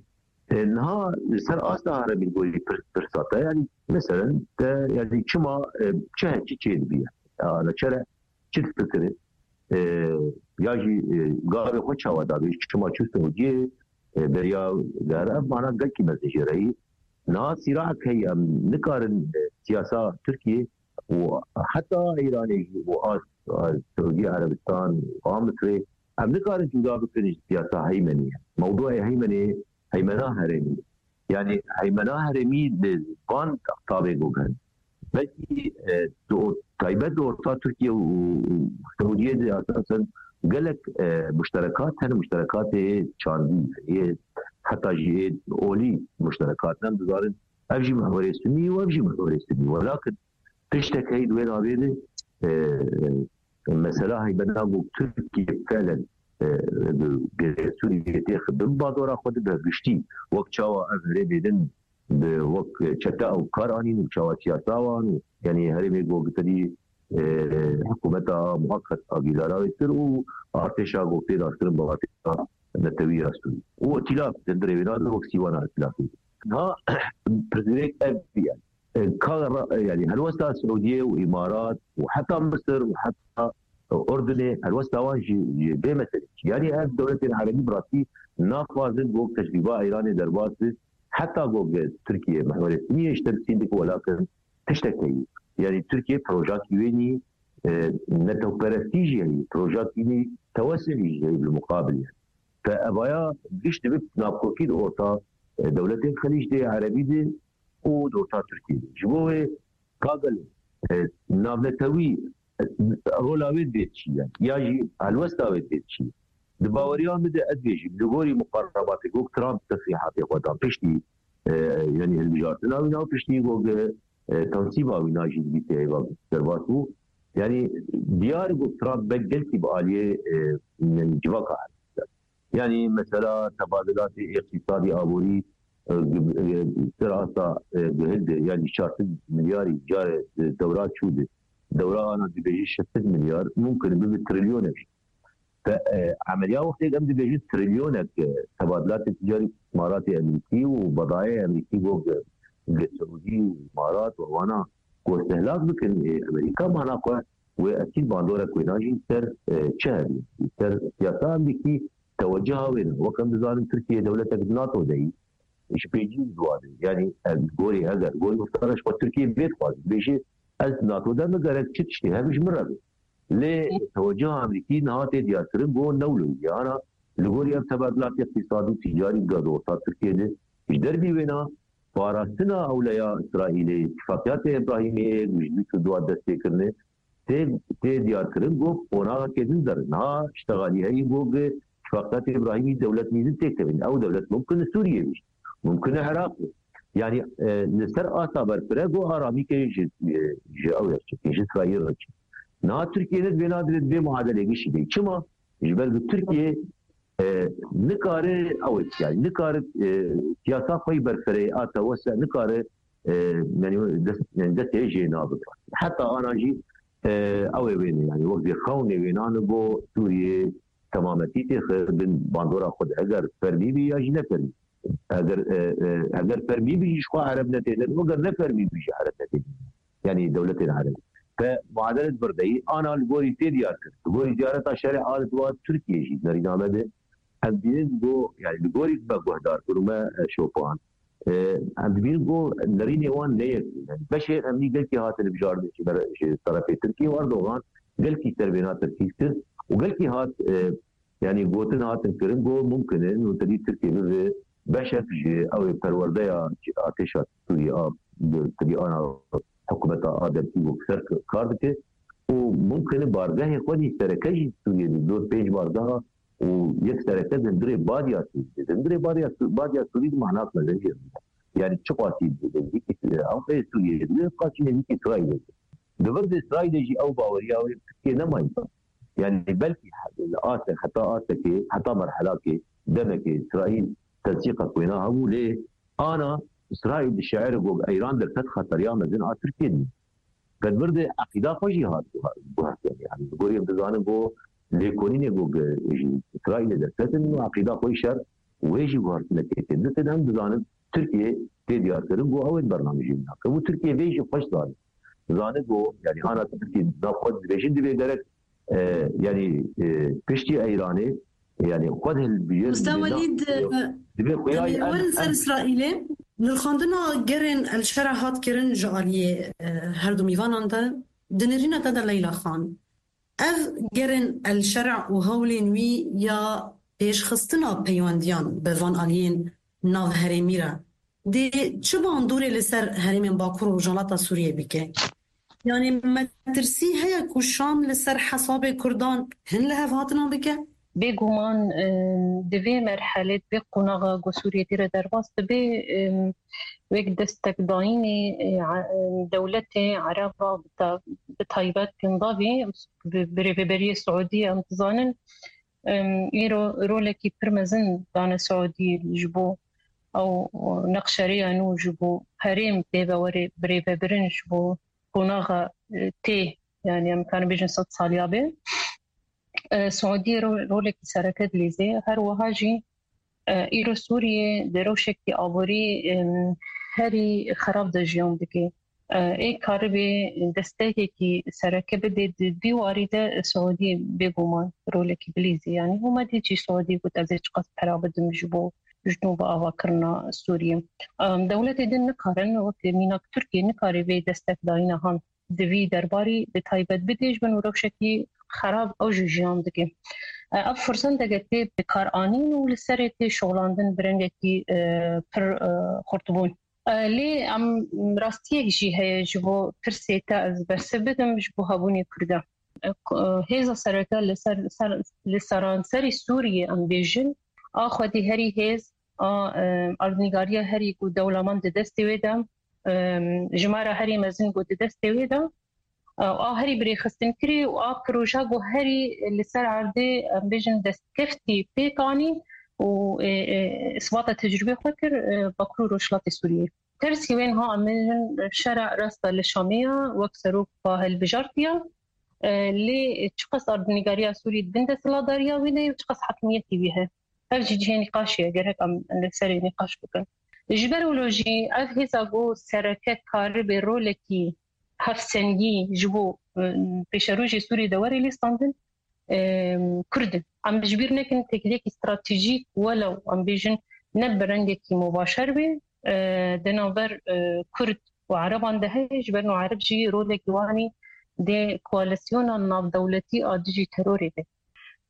E, niha li ser asta herêmî gorî pir-, pirsa te, yanî meselen te, yanî çima, e, çi he, çi çêdibiye? Ya, neçere çi difikire? E, ya jî, e, gavê xwe çawa dabê, çima çû Siûdiyê, e, beriya gere, ev mana gelkî mezin jê re yî. Niha sîraek heye, em nikarin, e, siyasa Tirkiyê û heta Îranê jî û a, a Siûdî Erebistan û a Misirê, em nikarin cuda bikin ji siyasa heymenê. Mewdûê heymenê, heymena herêmî. Yanî heymena herêmî li van tabê gogan. Belkî, e, di or-, taybet di orta Tirkiye û, û Siûdiyê de esasen gelek, e, muşterekat hene, muşterekatê çandî, yê heta jî yê olî muşterekat hene. Em dizanin ev jî mihwerê sunî û ev jî mihwerê sunî. Welakin tiştek heyî di wê navê de, e, mesela heybena ku Tirkiye felen, e, bi Sûriyê têxin bi bandora xwe de bi giştî wek çawa ev herêmê din bi wek çete ew kar anîn û çawa siyasa wan û, yanî herêmê ku gitedî, e, hikûmeta muheqet a Gîlarawe kir û artêşa ku tê daskirin bi artêşa netewî ya Sûrî. Û îtîlaf di hundirê wêna de wek sîwana îtîlafê. Niha pirsgirêk ev bûye. E, ka ra-, e, yanî helwesta Siûdiyê û Îmarat û heta Misir û heta Urdunê helwesta wan jî, jî vê meselê. Yanî ev dewletên erebî bi rastî naxwazin ku tecrîba Îranê derbas be, heta ku Tirkiye mihwerê sunî yê ji te bi sîn dike welakin tiştek heyî. Yanî Tirkiye projakî wê nî, e, netewperestî jî heyî, projakî nî tewesulî jî heyî bi muqabil yanî. Te evaya giş dibe navkokî di orta, e, dewletên Xelîc de, Erebî de û di orta Tirkiyê de. Ji bo wê ka gelo, e, navnetewî, e, rola wê divê çi ye? Ya jî helwesta wê divê çi ye? Di baweriya min de ez dibêjim, li gorî muqerebatê ku Trump tesrîhatê xwe dan piştî, e, yanî hilbijartina wî na piştî ku, e, tensîba wî na jî dibî tê heyva derbas bû. Yanî diyar ku Trump be gelkî bi aliyê, e, yanî civaka Yanî mesela tebadilatê îqtîsadî aborî, e, gi-, e, ser asta, e, gihilde, yanî çar sed milyarî carê, e, dewra çû de. Dewra ana dibêje şeş sed milyar, mumkin bibe trilyonek. Te, e, emeliya wextê em dibêjin trilyonek, e, tebadilatê ticarî îstixbaratê Emerîkî û bedayê Emerîkî bo gi-, gi Siûdî û Îmarat û wana ku îstihlak bikin, e, Emerîka mana xwe wê ekîd bandorek wêna jî ser, e, çi hebî, ser siyasa Amerîkî tewecuha wêne. Wek em dizanin, Tirkiye dewletek di NATO de yî, ji pêncî ziwanê, yanî, e, gorî, eger gorî guftara ji xwe Tirkiye bê dixwazin, bêjê, ez NATO de me gerek çi tiştê hebe ji min re be. Lê tewecuha Amerîkî niha tê diyarkirin ku ne wilo ye. Ana li gorî ev teverdilata îqtîsadî û tîcarî di orta Tirkiye de, ji derbî wêna, parastina ewleya Îsraîlê, tifaqiyatê Îbrahîmê ê ku ji du sed û dua dest pê kirine, tê, tê diyarkirin ku qonaxekê din der. Niha ştexalî heyî ku bi tifaqiyatê Îbrahîmî dewlet nîzin têkevin. Ew dewlet mumkin e Sûriye bî. Mumkin e Iraq bî. Yanî, e, li ser asta berpire ku aramîkê ji, e, ji ew re çêke, ji Îsraîl re çêke. Niha Tirkiye ne divê, nadivê vê muadelê gişî bê. Çima? Ji ber ku Tirkiye, e, nikare ew ê, yanî nikare, e, siyasa xwe yî berfireyê a tewese nikare, e, yanî dest, yanî destê jê nabe. Heta ana jî, e, ew ê wêne, yanî wek vê xewnê wênan bo Sûriyê temametî têxe bin bandora xwe de. Eger fermî bî ya jî ne fermî. Eger, e, e, eger fermî bî jî ji xwe Ereb netêne, eger ne fermî bî jî Ereb netêne. Yanî dewletên Ereb. Te muadele di vir de yî, ana li gorî tê diyar kir. Li gorî ziyareta şerê a li dua Tirkiye jî nerîname de. Em dibînin ku, yanî li gorî me guhdar kir û me, e, şopan. E, em dibînin ku nerînê wan ne yek. Yanî beşê emnî gelkî hatin bijartin ji ber, ji terefê Tirkiye û Erdogan gelkî ser vêna Tirkî kir û gelkî hat, e, yanî gotin hatin kirin ku mumkin e nûtedî Tirkiye bibe beşek ji ew ê perwerdeya artêşa Sûriyê a, tedî ana hikûmeta a derkî ku ser kar dike û mumkin e bargehê xwe dî sereke jî Sûriyê di dor pênc bargeha û yek sereke di hundirê badiya Sûriyê, di hundirê badiya Sû-, badiya Sûriyê di manak mezin jê. Yanî çi qasî nêzîkî, ew ê Sûriyê dibe, qasî nêzîkî Îsraîlê dibe. Di vir de Îsraîlê jî ew baweriya wê Tirkiye nemayî. Yanî belkî li aste, heta astekê, heta merhelakê, demekê Îsraîl tensîqa ku wêna hebû, lê ana Îsraîl di şiirê got, Eyran derket xeteriya mezin a Tirkiye dî. Qedbir de eqîda xwe jî hat guhertin. Yanî li gorî em dizanin ku lêkolînê ku ji Îsraîlê derketin û eqîda xwe yî şer wê jî guhertinekê tê. Ditin em dizanin Tirkiye tê diyarkirin ku ew ê bernamejî nake. Û Tirkiye vê jî xweş zanî. Zanî ku, yanî ana Tirkiye navxwe dibêjin divê gerek, e, yanî, e, piştî Eyranê, yanî xwe de hilbijêrin, Usta divê na-, Welîd, e, divê xwe ya em, werin ser em Îsraîlê. Li rixandina gerên El Şera hat kirin ji aliyê, e, her du mîvanan de, di nêrîna te de Leyla Xan. Ev gerên El Şera û hewlên wî ya pêşxistina peywendiyan bi van aliyên navherêmî re dê çi bandorê li ser herêmên Bakur û Rojhilata Sûriyê bike? Yanî metirsî heye ku Şam li ser hesabê Kurdan hin li hev hatina bike? Bêguman, em, di vê merhelê, di vê qonaxa ku Sûriyê tê re derbas dibe, em, wek destekdayînê, e, e, dewletê Ereba, bi ta-, bi taybet Gindavî, bi, bi rêveberiyê Siûdiyê, em dizanin, em, îro rolekî pir mezin dane Siûdiyê ji bo ew neqşerêya nû ji bo herêm pê ve were birêvebirin ji bo qonaxa, e, tê, yanî em karin bêjin sed saliya be. E, Siûdiyê ro-, rolekî sereke dilîze. Her wiha jî, e, îro Sûriyê di rewşekî aborî, em, herî xerab de jiyan dike. E, ê karibê destekekî sereke bide di vî warî de Siûdiyê bêguman rolekî bilîzî. Yanî hûma dî jî Siûdiyê got ez ê çiqas pera bidim ji bo ji nû bi avakirina Sûriyê. Em, dewletê din nikarin, wek mînak Tirkiye nikare vê destekdayîna han di vî derbarî bi taybet bidê ji bin û rewşekî xerab ew jî jiyan dike. E, ev firsendeke tê bikaranîn û li serê tê şoxlandin bi rengekî, e, pir, e, xurtbûn. E, lê em rastiyek jî heye ji bo pirsê te ez bersiv bidim ji bo hebûnê Kurda. E, k-, e, hêza sereke li ser, ser, li seranserî Sûriyê em bêjin, a xwedî herî hêz, a, e, erdnîgariya herî ku dewleman di destê wê de, e, jimara herî mezin ku di destê wê de, e, a herî birêxistin kirî û a proje ku herî li ser erdê, em bêjin, destkeftî pêk anî û, e, e, isbata tecrûbê xwe kir, e, Bakur û Rojhilatê Sûriyê. Tersî wê niha em bêjin şera rasta li Şamê ya, wek serok xwe hilbijartiye. E, lê çiqas erdnîgariya Sûrî di bin desthilatdariya wî de ye û çiqas hakimiyetî wî heye. Ev jî cihê nîqaşê ye, gerek em li serê nîqaş bikin. Ji ber wilo jî ev hêza ku sereke karibê rolekî hevsengî ji bo, e, pêşerojê Sûriyê de were lîstandin, e, Kurd in. Em ji bîr nekin têkiliyekî stratejîk, welew em bêjin ne bi rengekî mubaşer be, e, di navber, e, Kurd û Ereban de heye, ji ber ku Ereb jî rolekî wanî dê koalîsyona navdewletî a dijî terorê be.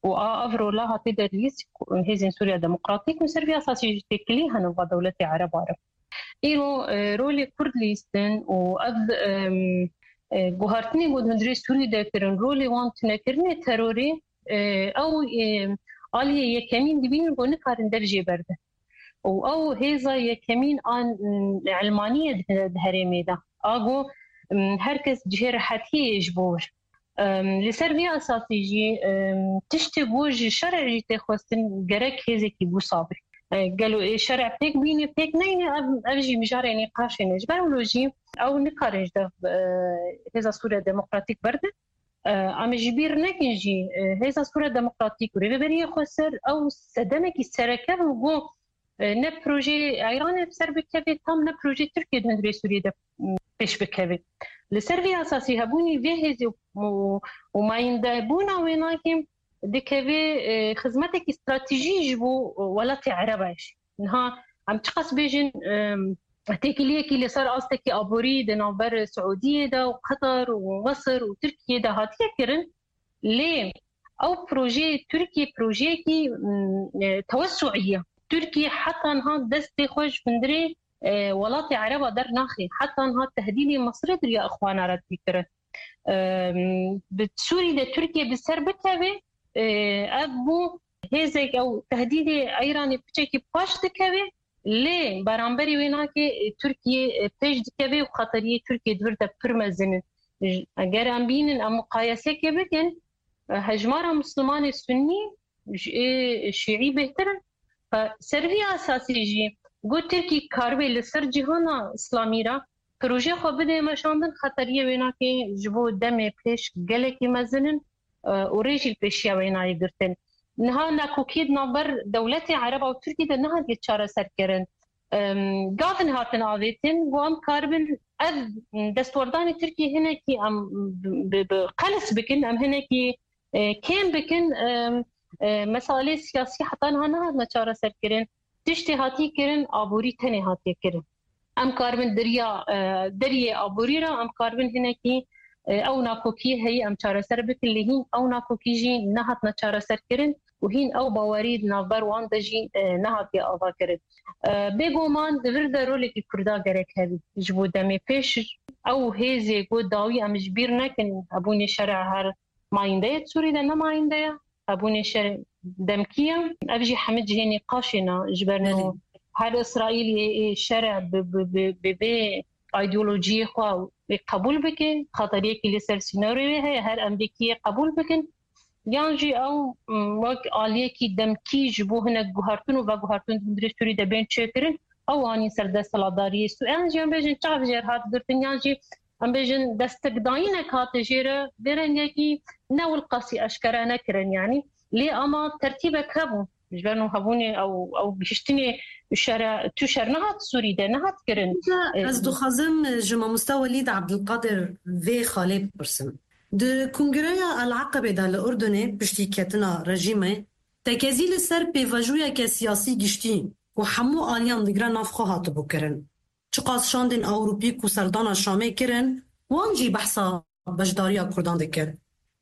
Û a ev rola hatiye derlîst hêzên Sûriya Demokratîk û ser vî esasî jî têkilî hene va dewletê Ereba re. Îro, e, rolê Kurd lîstin û ev, em, e, guhartinê ku di hundirê Sûrî de kirin, rolê wan tunekirinê terorê, e, ew, e, aliyê yekemîn dibînin ku nikarin dev jê berdin. Û ew hêza yekemîn an, m, Elmaniyê di, di herêmê de. A ku, m, her kes cihê rehetiyê yê ji bo wir. Em, li ser vî esasî jî, em, tiştê ku ji şerê jî tê xwestin gerek hêzekî wisa be. E, gelo ê şerê pêk bîne, pêk neyne, ev, ev jî mijarê nîqaşê ne. Ji ber wilo jî ew nikarin ji dev, e, Hêza Sûriya Demokratîk berdin. E, em ê ji bîr nekin jî, e, Hêza Sûriya Demokratîk û Rêveberiya Xweser ew sedemekî sereke bû ku, e, ne projeyê Îranê bi ser bikeve, tam ne projeyê Tirkiyê di hundirê Sûriyê de, m, pêş bikeve. Li ser vê esasî hebûnî vê hêzê û, û mayîndebûna wê nakê dikeve, e, xizmetekî stratejî ji bo welatê Ereba jî. Niha em çiqas bêjin, em, têkiliyekî li ser astekî aborî di navber Siûdiyê de û Qetar û Mesir û Tirkiyê de hatiye kirin, lê ew projeyê Tirkiyê projeyekî, m, e, tewessuî ye. Tirkiye heta niha destê xwe ji hundirê, e, welatê Ereba dernaxê. Heta niha tehdîdê Misirê di riya Ixwana re tê kirin. Em, bi Sûrî de Tirkiye bi ser bikeve, e, ev bû hêzek ew tehdîdê Îranê piçekî paş dikeve, lê beramberî wê nake, e, Tirkiye, e, pêş dikeve û xeteriyê Tirkiye di vir de pir mezin in. J-, eger em bînin, em muqayeseke bikin, e, hejmara Mislimanê Sunnî ji ê Şîî bêhtir in. Fe-, ser vî esasî jî got Tirkî karibe li ser cîhana Îslamî re proje xwe bide meşandin, xeteriyê wê nake ji bo demê pêş gelekî mezin in, e, û rê jî li pêşiya wê nayê girtin. Niha nakokiyê di navber dewletê Ereba û Tirkî de nehatiye çareserkirin. Em, gavin hatin avêtin, ku em karibin ev destwerdanê Tirkî hinekî em bi, bi, bi qelis bikin, em hinekî e, kêm bikin, e, e, meselê siyasî heta niha nehatine çareserkirin. Tiştê hatî kirin, aborî tenê hatiye kirin. Em karibin deriya, e, deriyê aborî re, em karibin hinekî, e, ew nakokiyê heye em çareser bikin, lê hîn ew nakokî jî nehatine çareserkirin û hîn ew bawerî di navber wan de jî, e, nehatiye avakirin. E, bêguman di vir de rolekî Kurda gerek hebî. Ji bo demê pêş ew hêzê ku dawî em ji bîr nekin, hebûnê şerê her mayînde ye, Sûrî de ne mayînde ye. Hebûnê şer demkî ye. Ev jî hemî cihê nîqaşê ne. Ji ber no Belê. Her Îsraîlê ê şer e bi, bi, bi, bi vê îdeolojiyê xwe ê qebûl bike, xeteriyekî li ser sînorê wê heye, her emrîkiyê qebûl bikin. Yan jî ew, m, wek aliyekî demkî ji bo hinek guhertin û veguhertin di hundirê Sûrî de bên çêkirin, ew anîn ser desthilatdariyê Sû-, yan jî em bêjin çav jêr hat girtin, yan jî em bêjin destekdayînek hate jê re, vê rengekî ne wilqasî eşkere nekirin yanî. Lê ama tertîbek hebû. Ji ber no hebûnê ew, ew gihiştinê şere, tu şer nehat Sûrî de, nehat kirin. Îja E, ez dixwazim ji mamoste Welîd Abdulkadir vê xalê bipirsim. Di Kongreya El Aqebê de li Urdunê piştî ketina rejîmê, tekezî li ser pêvajoyeke siyasî giştî ku hemû aliyan digire nav xwe hatibû kirin. Çiqas şandên Ewropî ku serdana Şamê kirin, wan jî behsa beşdariya Kurdan dikir.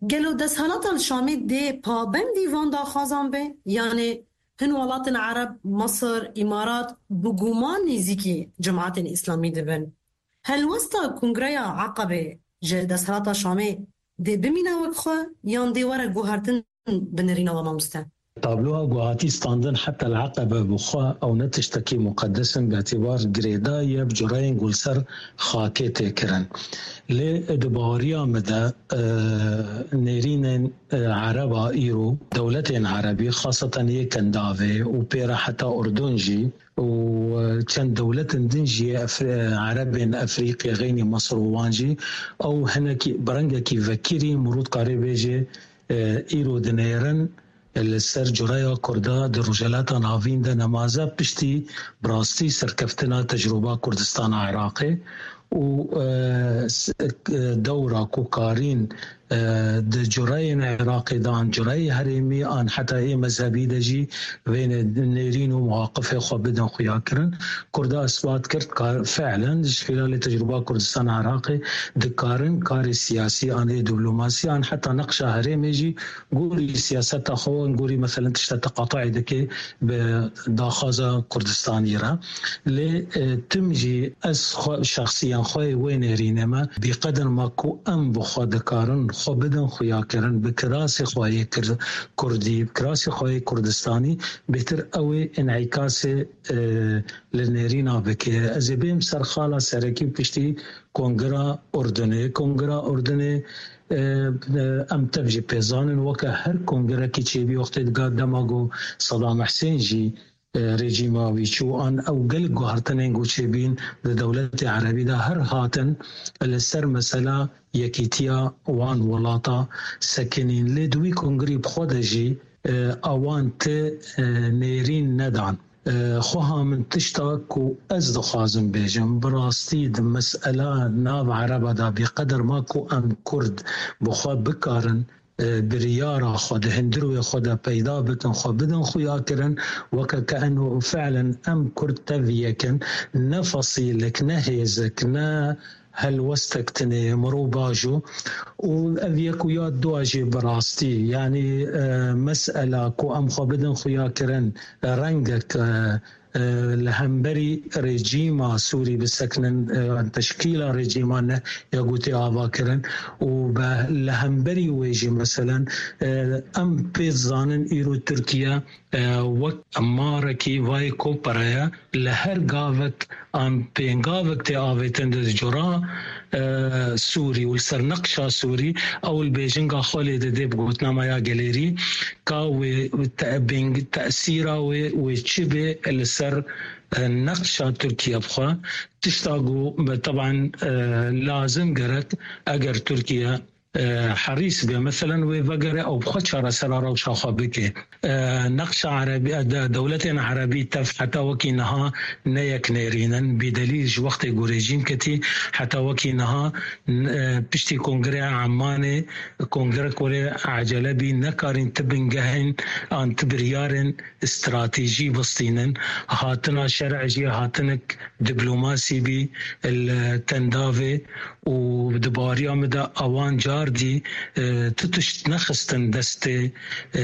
Gelo desthilata li Şamê dê pabendî van daxwazan be? Yanê hin welatên Ereb, Misir, Îmarat, bi guman nêzîkî Cemaetên Îslamî dibin. Helwesta Kongreya Aqebê ji desthilata Şamê dê bimîne wek xwe yan dê were guhertin bi nirîna we mamoste? Tabloya ku hatî standin heta li Eqebe bi xwe ew ne tiştekî muqedes in, bi îtîbar girêdayî ye bi cureyên ku li ser xakê tê kirin. Lê di baweriya min de, e, nêrînên, e, Ereba îro, dewletên Erebî, xaseten yê Kendavê û pê re heta Urdun jî, û, e, çend dewletên din jî yê Efri-, Erebên Efrîqê, xeynî Misir û wan jî, ew hinekî, bi rengekî vekirî mirov dikarê bêjê, e, îro dinêrin li ser cureya Kurda di Rojhilata Navîn de nemaze piştî bi rastî serkeftina tecrûba Kurdistana Iraqê û, e, s-, e, dewra ku karîn, e, di cureyên Iraqê de an cureyê herêmî an heta ê mezhebî de jî vê nê-, nêrîn û muwaqifê xwe bidin xuyakirin. Kurda isbat kir ka fiilen ji xîlalê tecrûba Kurdistan Iraqê dikarin karê siyasî an ê diplomasî an heta neqşa herêmê jî gorî siyaseta xwe, gorî meselen tişta teqatayê dike bi daxwaza Kurdistanî re. Lê, e, tim jî ez xwe, şexsiyan xwe yê wê nêrînê me, bîqedir ma ku em bi xwe dikarin, xwe bidin xuyakirin, bi kirasê xwe yê kir-, kurdî, bi kirasê xwe yê Kurdistanî, bêtir ew ê înîkasê, e, li nêrîna bike. Ez ê bêm ser xala serekî û piştî Kongira Urdunê. Kongira Urdunê, e, e, em tev jî pê zanin, weke her kongirekî çêbî wextê diga dema ku Sedam Husên jî, e, rejîma wî çû, an ew gelek guhertinên ku çêbîn di dewletê erebî de her hatin li ser mesela yekîtiya wan welata sekinîn. Lê di wî kongirî bi xwe de jî, e, awan ti, e, nêrîn nedan. E, xweha min tişta ku ez dixwazim bêjim, bi rastî di mesela nav ereba de bîqedir ma ku em kurd bi xwe bikarin, e, biryara xwe di hundirê xwe de peyda bikin, xwe bidin xuyakirin, weke ke eno fiilen em kurd tev yek in, ne fesilek, ne hêzek, ne helwestek tune ye, mirov bajo. Û ev yek û ya dua jî bi rastî, yanî, e, mesela ku em xwe bidin xuyakirin, rengek, e, e, li hemberî rejîma Sûrî bisekinin, e, teşkîla rejîma ne ya ku tê avakirin û be-, li hemberî wê jî meselen, e, em pê dizanin îro Tirkiye, e, wek marekî vayê kopereye li her gavek an pêngavek tê avêtin di cura, e, Sûrî û li ser neqşa Sûrî ew li bêjinga xwe lê didê bi gotina me ya gelêrî ka wê te-, bêng-, tesîra wê, wê çi bê li ser, e, neqşa Tirkiye bixwe. Tişta ku be teban, e, lazim gerek eger Tirkiye e, herîs be, meselen wê vegere ew bi xwe çaresera rewşa xwe bike. E, neqşa erebî, e, de-, dewletên erebî tev heta wekî niha ne yek nêrîn in. Bîdelîl ji wextê ku rejîm ketî heta wekî niha, n-, e, piştî Kongreya Emanê, kongrek were ecele bî, nekarîn ti bingehên an ti biryarên stratejî bistînin. Hatina şer'ê jî hatinek diplomasî bî li tendavê û di baweriya min de ewan cardî, e, tu tişt nexistin destê, e,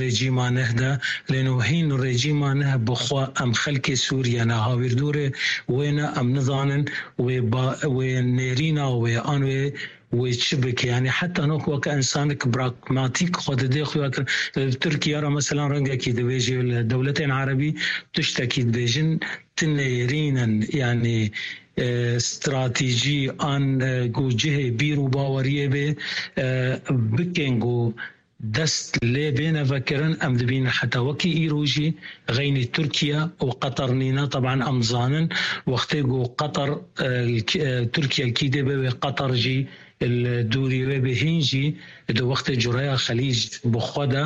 rejîma neh de. Lê no hîn rejîma neh bi xwe em xelkê Sûriye ne, hawîrdorê wê ne, em nizanin wê ba-, wê nêrîna wê an wê wê çi bike? Yanî heta nok weke însanek pragmatîk xwe didê xuya kir. Li Tirkiye re, meselan, rengekî dibêjê li dewletên erebî tiştekî dibêjin, ti nêrîn in, yanî, e, stratejî an, e, ku cihê bîr û baweriyê bê, e, bikên ku dest lê bêne vekirin, em dibînin heta wekî îro jî xeynî Tirkiye û Qeter nîne. Teban em zanin wextê ku Qeter, e, li kî-, e, Tirkiye li kî dê be wê Qeter jî li dûrî wê be, hîn jî di wextê cureya Xelîc bi xwe de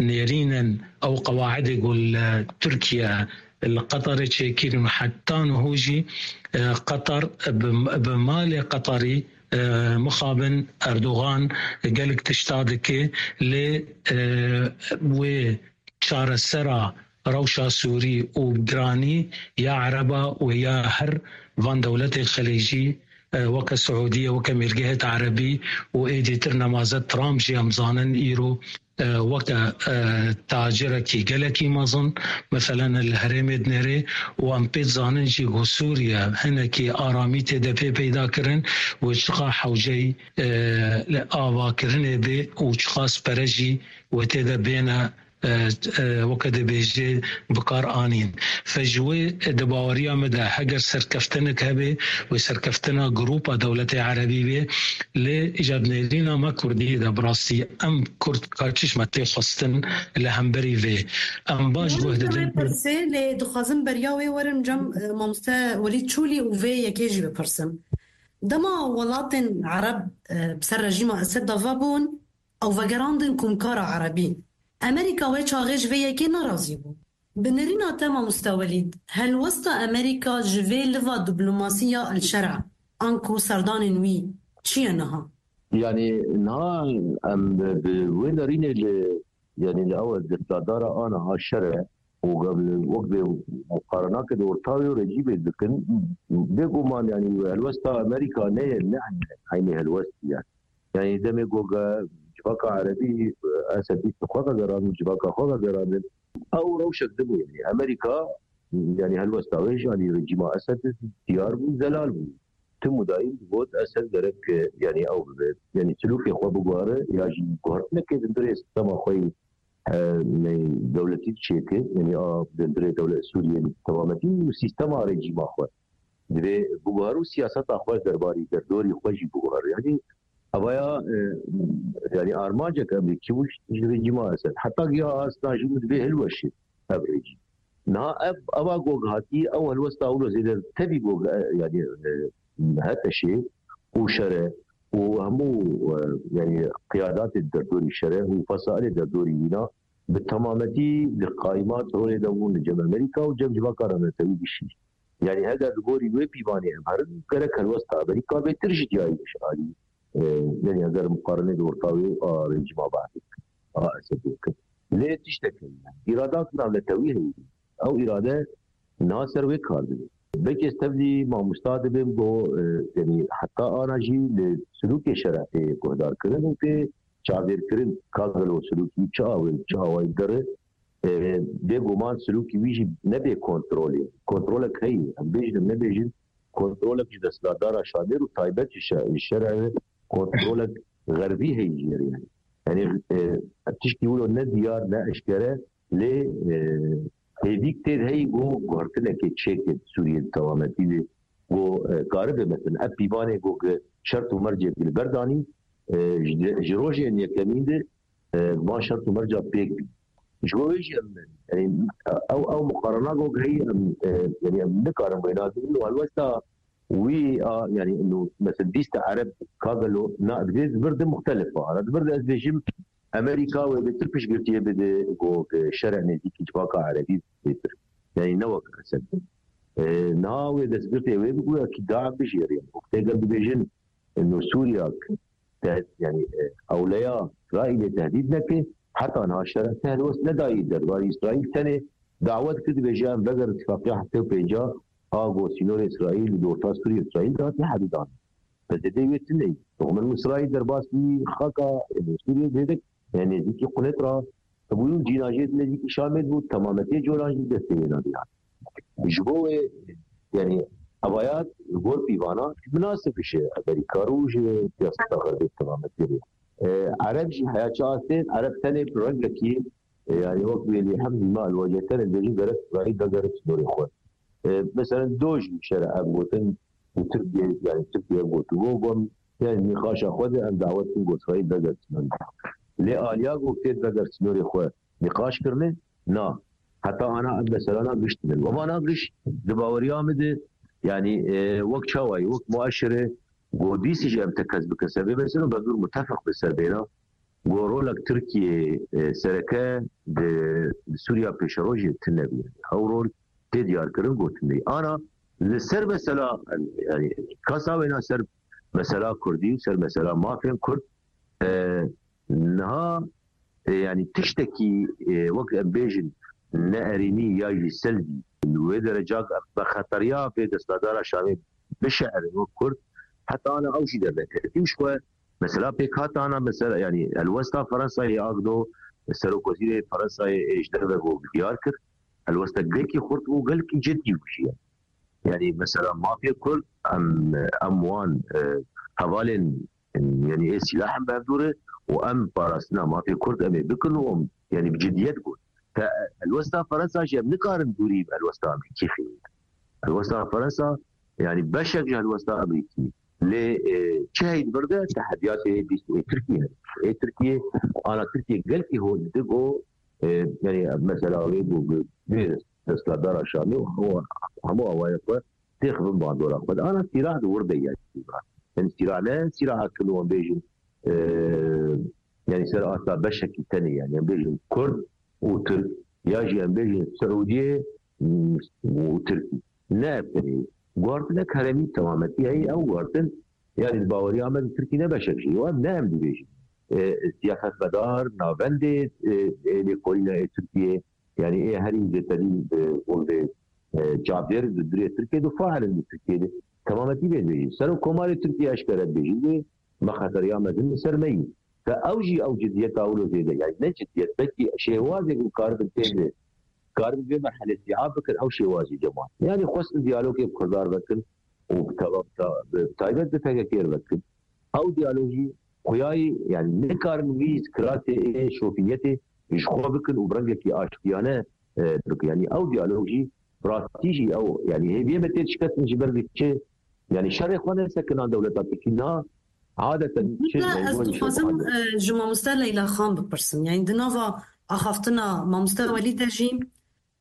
nêrîn in ew qewaidê ku li Tirkiye li Qeterê çêkirin û heta niho jî, e, Qeter bi, bi malê Qeterî, e, mixabin Erdogan gelek tişta dike, lê, e, wê çaresera rewşa Sûrî û giranî ya Ereba û ya her van dewletên Xelêcî, e, weke Siûdiye, weke Mîrgehêt Erebî û êdîtir nemaze Trump jî em zanin îro, e, weke, e, tacirekî gelekî mezin, meselen li herêmê dinêrê û em pê dizanin jî ku Sûriye hinekî aramî tê de pê peyda kirin û çiqa hewceyî, e, li avakirinê bê û çiqas pere jî wê tê de bêne, e, e, weke dibêjê bi kar anîn. Fe ji wê di baweriya min de heger serkeftinek hebe wê serkeftina grûpa dewletê erebî bê, lê îcar nêrîna me kurdî de bi rastî em kurd ka çişme tê xwestin li hemberî vê. Em baş guh didin. Pirsê, lê dixwazim beriya wê werim cem, e, mamoste Welîd Çolî û vê yekê jî bipirsim. Dema welatên Ereb, e, bi ser rejîma Esed de vebûn, ew vegerandin Komkara Erebî. Amerîka wê çaxê ji vê yekê nerazî bû. Bi nêrîna te mamoste Welîd, helwesta Amerîka ji vê liva diplomasî ya El Şer'a anku serdanên wî çi ye niha? Yanî niha em bi wê nerînê li, yanî li ew destadara ana a şer e û gel wek bê muqarenake di orta wê û rejîmê dikin. Bêguman yanî helwesta Amerîka ne ye, ne eynî helwestî ye. Yanî demê ku ge civaka Erebî Esedî xwe vegerandin, civaka xwe vegerandin. Ew rewşek dibû, yanî Amerîka, yanî helwesta wê ji alî rejîma Esed diyar bû, zelal bû. Tim û dayîm digot Esed gerek, e, yanî ew bibe. Yanî silûkê xwe biguhere ya jî guhertinekê di ndirê sistema xwe yî, e, ne, dewletî çêke, yanî a di ndirê dewlet Sûriyê bi temametî û sîstema rejîma xwe divê biguhere û siyaseta xwe derbarî derdorî xwe jî biguhere. Yanî evaya, e, yanî armancek Amerîkî bû ji rejîma Esed. Heta giya asna jî bû divê hilweşe ev rejîm. Niha ev, eva gog hatî, ew helwesta wilo zêde tevî gog, e, yanî, e, HTŞê û şere û hemû, e, yanî qiyadatê derdorî şere û fesailê derdorî wîna bi temametî li qaimat rolê de bûn li cem Amerîka û cem civaka rewletewî gişî. Yanî heger li gorî wê pîvanê em herin, gerek helwesta Amerîka bêtir ji diyayî ji alî, e, yanî heger muqarenê di orta wê a rejîma Bahdê a Esedê kir. Lê tiştek heye, îradat navnetewî heye. Ew îrade niha ser wê kar dibe. Belkî ez tevlî mamosta dibêm ku, e, yanî heta ana jî li silûkê şerefê guhdar kirin û tê çavdêrkirin ka gelo silûkî çi awê, çi awayî dere, e, bêguman silûkî wî jî nebê kontrolê. Kontrolek heye, em bêjin, em nebêjin, kontrolek ji desthilatdara Şamê û taybet ji şe-, ji şerê kontrolek xerbî heye jê re yanî. Yanî, e, tiştî wilo ne diyar, ne eşkere, lê, e, hêvîk tê de heye ku guhertinekê çêke di Sûriyê di tewametî de ku, e, karibe, mesela, ev pîvanê ku ki şert û mercê li ber danî, e, ji, ji rojên yekemîn de, e, van şert û merca pêk bî. Ji bo wê jî em, yanî, ew, ew muqarena ku heye, em, e, yanî em nikarin wêna bibin û helwesta wî a, yanî, ino, mesela, lîsta Ereb ka gelo, na, divê di vir de muxtelif a. Di vir de ez bêjim, Amerîka wê bêtir piştgirtiyê bide ku, e, şere nêzîkî civaka Erebî bêtir. Yanî ne wek Esed. E, niha wê destgirtê wê bibû, ya kî da bijêrê. Wek tê gel dibêjin, ino Sûriyak, te-, yanî, e, ewleya Îsraîlê tehdîd neke, heta niha şeref te helwest nedayî derbarê Îsraîl tenê dawet kir, dibêje em vegerin tifaqiya heftê û pênca a ku sînorê Îsraîl li orta Sûriyê Îsraîl de hatiye hevîdan. Pezedê wê tune ye. Min Îsraîl derbas wî xaka, e, Sûriyê zêde, e, nêzîkî Qunet ra hebûyî û cînajê nêzîkî Şamê bû, temametê coran jî destê wê nadiyan. Ji bo wê, yanî, evaya li gor pîvana minasib ji Amerîka re û ji siyaseta xerbê temametê re. E, Ereb jî heya çi astê, Ereb tenê bi rengekî, e, yanî wek wê lê hem zîma li wecê tenê dibêjin gerek Îsraîl vegere sînorê xwe. E, mesela do jî şere ev gotin, bi Tirkiye, yanî Tirkiye gotibo, got, yanî nîqaşa xwe de em dawet kin got Îsraîl vegere sînorê xwe. Lê aliya got tê vegere sînorê xwe nîqaş kirine, na. Heta ana ev meselana giş tine. Û vana giş di baweriya min de, yanî, e, wek çawayî, wek muaşire, ku dîsî jî em tekez bi kesebê meselin, bi zûr mutefeq bi ser bêna, ku rolek Tirkiye, e, sereke di, di Sûriya pêşerojê tune bû. Ew rol tê diyar kirin, gotin bê. Ana li ser mesela, yanî, kasa wêna ser mesela Kurdî û ser mesela mafên Kurd, e, niha, e, yanî tiştekî, e, wek em bêjin, ne erênî ya jî selvî, li wê derecak em bi xeteriya vê destadara Şamê bişerin wek Kurd, heta ana ew jî dernekevî. Û ji xwe mesela pêk hatana, mesela, yanî helwesta Fransayê, Agdo, serokwezîrê Fransayê ê ji derve got, diyar kir, helwesta gelkî xurt û gelkî cidî bû jî ye. Yanî mesela mafê Kurd, em, em wan, e, hevalên, yanî ê sîlah em bi hevdû re û em parastina mafê Kurd em ê bikin û em, yanî bi cidiyet got. Te helwesta Fransa jî em nikarin dûrî bi helwesta Amerîkî xînin. Helwesta Fransa, yanî beşek ji helwesta Amerîkî. Lê, e, çi heyî di vir de tehediyatê dîst ê Tirkiyê hene. Ê Tirkiyê, ana Tirkiyê gelkî hol dide ku, e, yanî mesela wê ku bi vê desthilatdara Şamê û hemû, hemû awayê xwe têxivin bandora xwe. Ana sîrah di wir de ye. Yanî sîrah ne, sîrah kin û em bêjin, e, yanî ser asta beşekî tenê, yanî em bêjin Kurd û Tirk, ya jî em bêjin Siûdiyê, mm, û Tirkî. Ne ev tenê. Guhartinek herêmî temametî heye, ew guhartin, yanî di baweriya me di Tirkî ne beşek jî. Ew em ne em dibêjin. E, siyasetmedar, navendê, e, e, lêkolîna ê Tirkiyê, yanî ê herî zêterî, e, hûn vê, e, çavdêr di durê Tirkiyê de fail in di Tirkiyê de. Temametî vê dibêjin. Serokkomarê Tirkiyê eşkere dibêjin, lê me xeteriya mezin li ser me yî. Te ew jî ew cidiyeta wilo zêde, yanî ne cidiyet, belkî şêwazê ku karibin tê de, karibin vê merhelê sîa bikin, ew şêwazî cema. Yanî xwestin diyalogê bi Kurdar vekin û bi teva-, bi ta-, bi taybet bi P K K vekin. Ew diyalog jî xuyayî, yanî nikarin wî kirasê ê şofîniyetê ji xwe bikin û bi rengekî aştiyane, e, bikin. Yanî ew diyalog jî bi rastî jî ew, yanî hêviyê me tê dişkestin ji ber çi, yanî şerê xwe nesekinan dewleta Tirkî niha adeten çi Leyla, ez meywanî dixwazim, şerê xwe e, ji mamoste Leyla Xan bipirsim. Yanî di nava axaftina mamoste Welî de jî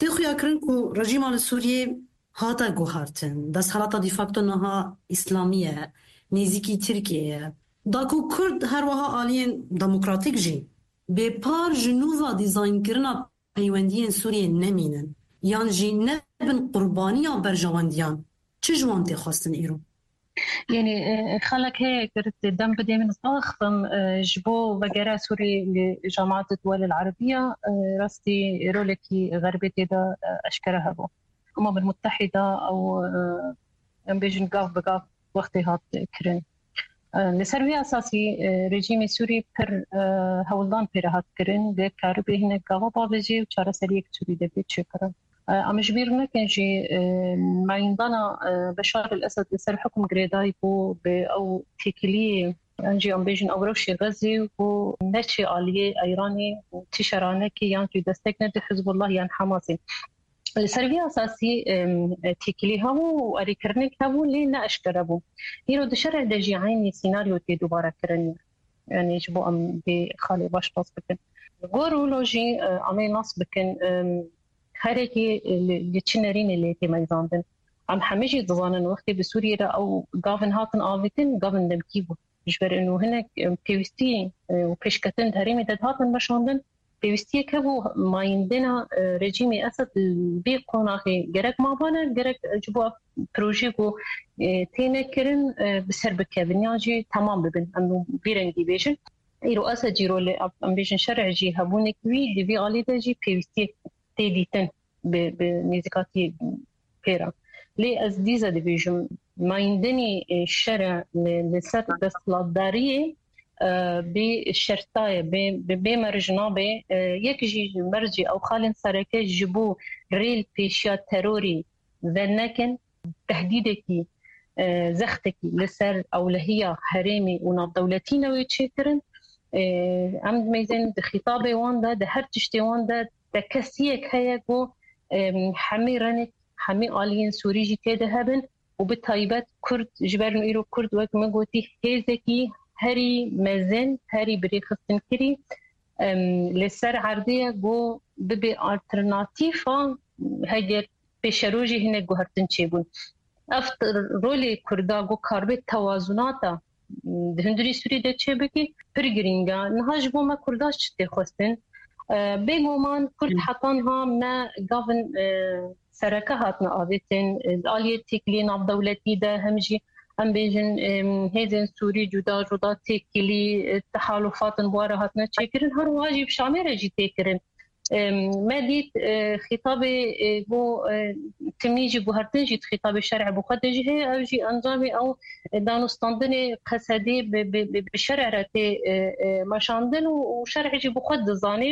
tê xuyakirin ku rejîma li Sûriyê hate guhartin. Desthelata de facto niha îslamî ye, nêzîkî Tirkiyê ye. Da ku Kurd her wiha aliyên demokratîk jî bêpar ji nû ve dîzaynkirina peywendiyên Sûriyê nemînin, yan jî nebin qurbaniya berjewendiyan, çi ji wan tê xwestin îro? Yanî, e, xelek heye ku te dem bidê min axivim, e, ji bo vegera Sûrî li Cemaat Duwel el Erebiya, e, rastî rolekî Xerbê tê de, e, eşkere hebû. Umem el Muttehîda ew, e, em bêjin gav bi gav wextê hat kirin. E, li ser vî esasî, e, rejîmê Sûrî pir, e, hewldan pê re hat kirin, lê karibê hinek gava bavêjê û çareseriyek Sûrî de bê çêkirin. E, em ji bîr nekin jî, e, mayîndana, e, Beşar el Esed li ser hukm girêdayî bû bi ew têkiliyê, yan jî em bêjin ew rewşê Xezê û neçê aliyê Îranê û tîşeranekê yan jî destek nede Hizbullah yan Hamasê. Li ser vî esasî, em, têkilî hebû û erêkirinek hebû, lê ne eşkere bû. Îro di şerê de jî eynî sînaryo tê dubare kirin. Yanî ji bo em vê xalê baş nas bikin. Li gor wilo jî, e, em ê nas bikin, em, herekî li, li çi nerînê lê tê meyzandin. Em hemî jî dizanin wextê bi Sûriyê re ew gavin hatin avêtin, gavin demkî bû. Ji ber û hinek, e, pêwîstî, e, û pêşketin di herêmê de dihatin meşandin. Pêwîstiyek hebû mayîndina, e, rejîmê Esed li vê qonaxê gerek mabane, gerek ji bo projeyê ku, e, têne kirin, e, bi ser bikevin yan jî temam bibin. Em vî rengî bêjin. Îro Esed jî rolê, em bêjin şerê jî hebûnek wî di vî alî de jî pêwîstiyek tê dîtin bi, bi nêzîkatî pê re. Lê ez dîsa dibêjim, mayîndinî, e, şere li, li ser desthilatdariyê, e, bê şerta ye, bê, bê, bê merc nabe. E, yek jî ji mercê ew xalên sereke ji bo rê li pêşiya terorî venekin, tehdîdekî, e, zextekî li ser ewlehiya herêmî û navdewletî newê çêkirin. E, em dimeyzên di xîtabê wan de, di her tiştê wan de, tekesiyek heye ku, em, hemî renik, hemî aliyên Sûrî jî tê de hebin û bi taybet Kurd, ji ber îro Kurd, wek min gotî, hêzekî herî mezin, herî birêxistinkirî, em, li ser erdê ye ku bibe alternatîfa heger pêşerojê hinek guhertin çêbûn. Ev t-, rolê Kurda ku karibe tewazunata, m, di hundirî Sûrî de çêbike, pir girîng e. Niha ji bo me Kurda çi tê xwestin? E, bêguman Kurd Hı. heta niha ne gavin, e, sereke hatine avêtin, e, aliyê têkiliyê navdewletî de hem jî em bêjin, e, hêzên Sûrî cuda cuda têkilî, e, tehalufatin bi wan re hatine çêkirin. Her wiha jî bi Şamê re jî tê kirin. Em, me dît, e, xîtabê, e, bo, e, timî jî guhertin jî xîtabê şer'ê bi xwe de jî heye, ew jî encamê ew, e, danûstandinê Qesedê bi, bi, bi, bi şer'ê re tê, e, e, meşandin û, û şer'ê jî bi xwe dizanê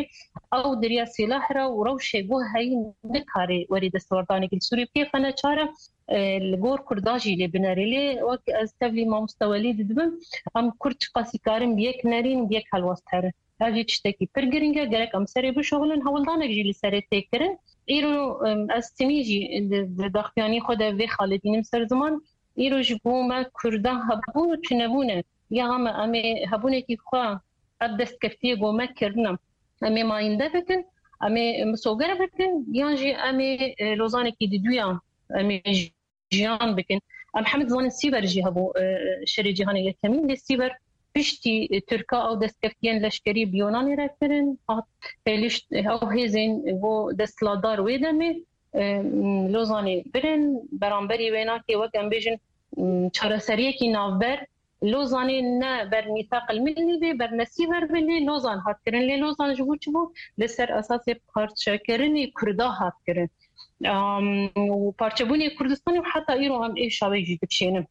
ew di riya sîlah re û rewşê guh heyî nikare werî destwerdanê gil Sûrî bikê xwe neçar e, e, li gor Kurda jî lê binerê. Lê wek ez tevlî mamoste Welî didibim, em Kurd çiqasî karin bi yek nerîn, bi yek helwest herin. Ev jî tiştekî pir girîng e, gerek em serê bişuxulin, hewldanek jî li serê tê kirin. Îro, em, ez timî jî di, di daxuyanî xwe de vê xalê dînim ser ziman. Îro ji bo me Kurda hebûn û tunebûn e. Ya em, em ê hebûnekî xwe, ev destkeftiyê ku me kirine, em ê mayînde bikin, em ê misoger bikin, yan jî em ê, e, lozanekî diduya em ê jiyan bikin. Em hemî dizanin Sîver jî hebû, e, şerê cîhanê yekemîn, lê Sîver piştî, e, Tirka ew destkeftiyên leşkerî bi Yunanê re kirin, hat pêlişt, e, ew hêzên bo desthilatdar wê demê, e, Lozanê birin, beramberî wê nake, wek em bêjin, m, çareseriyekî navber. Lozanê ne ber mîsaq el millî bê, ber nesî ver bê, lê Lozan hat kirin. Lê Lozan ji bo çi bû? Li ser esasê parçekirinê Kurda hat kirin. Am, û parçebûnê Kurdistanê û heta îro em êşa wê jî dikişênin.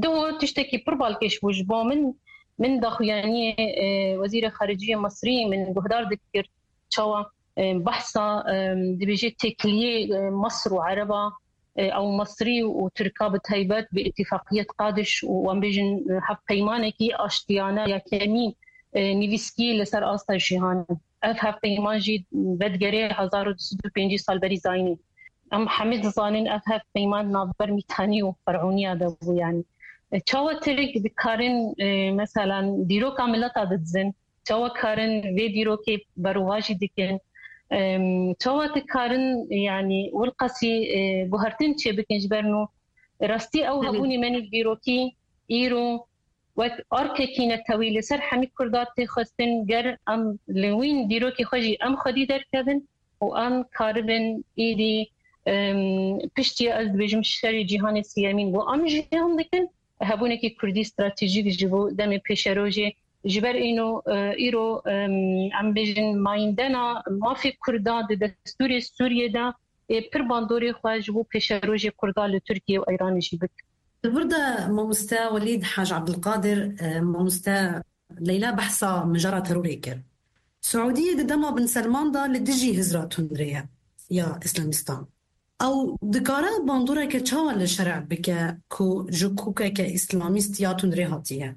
Diho tiştekî pir balkêş bû ji bo min. Min daxuyaniyê, e, Wezîrê Xariciyê Misrî min guhdar dikir. Çawa, e, behsa, e, dibêje têkiliyê, e, Misr û Ereba, e, ew Misrî û Tirka bi taybet bi îtîfaqiyet Qadiş û em bêjin, e, hevpeymanekî aştiyane yekemî, e, nivîskî li ser asta cîhanê. Ev hevpeyman jî vedigerê hezar û du sed û pêncî sal berî zayînê. Em hemî dizanin ev hevpeyman navber Mîtanî û Ferûniya de bû, yanî. E, çawa Tirk dikarin, e, meselan, dîroka mileta didizin, çawa karin vê dîrokê berovajî dikin, em, çawa dikarin, yanî, wilqasî, e, guhertin çêbikin ji ber nû. Rastî ew Hı hı. hebûnê me nî dîrokî îro wek arkekî netewî li ser hemî Kurda tê xwestin, ger em li wîn dîrokê xwe jî em xwedî derkevin û em karibin êdî, em, piştî ez dibêjim şerê cîhanê siyemîn bo em jiyan dikin, hebûnekî Kurdî stratejîk ji bo demê pêşerojê. Ji ber îno, e, îro, em, em bêjin mayîndena mafê Kurda di destûrê Sûriyê de ê pir bandorê xwe ji bo pêşerojê Kurda li Tirkiye û Îranê jî bike. Di vir de mamoste Welîd Haj Abdulkadir, e, mamoste Leyla behsa mijara terorê kir. Siûdiyê di dema Bin Selman de li dijî hizra tundrê ye ya Îslamîstan. Ew dikare bandoreke çawa li şerê bike ku ji kokeke îslamîst ya tundrê hatiye?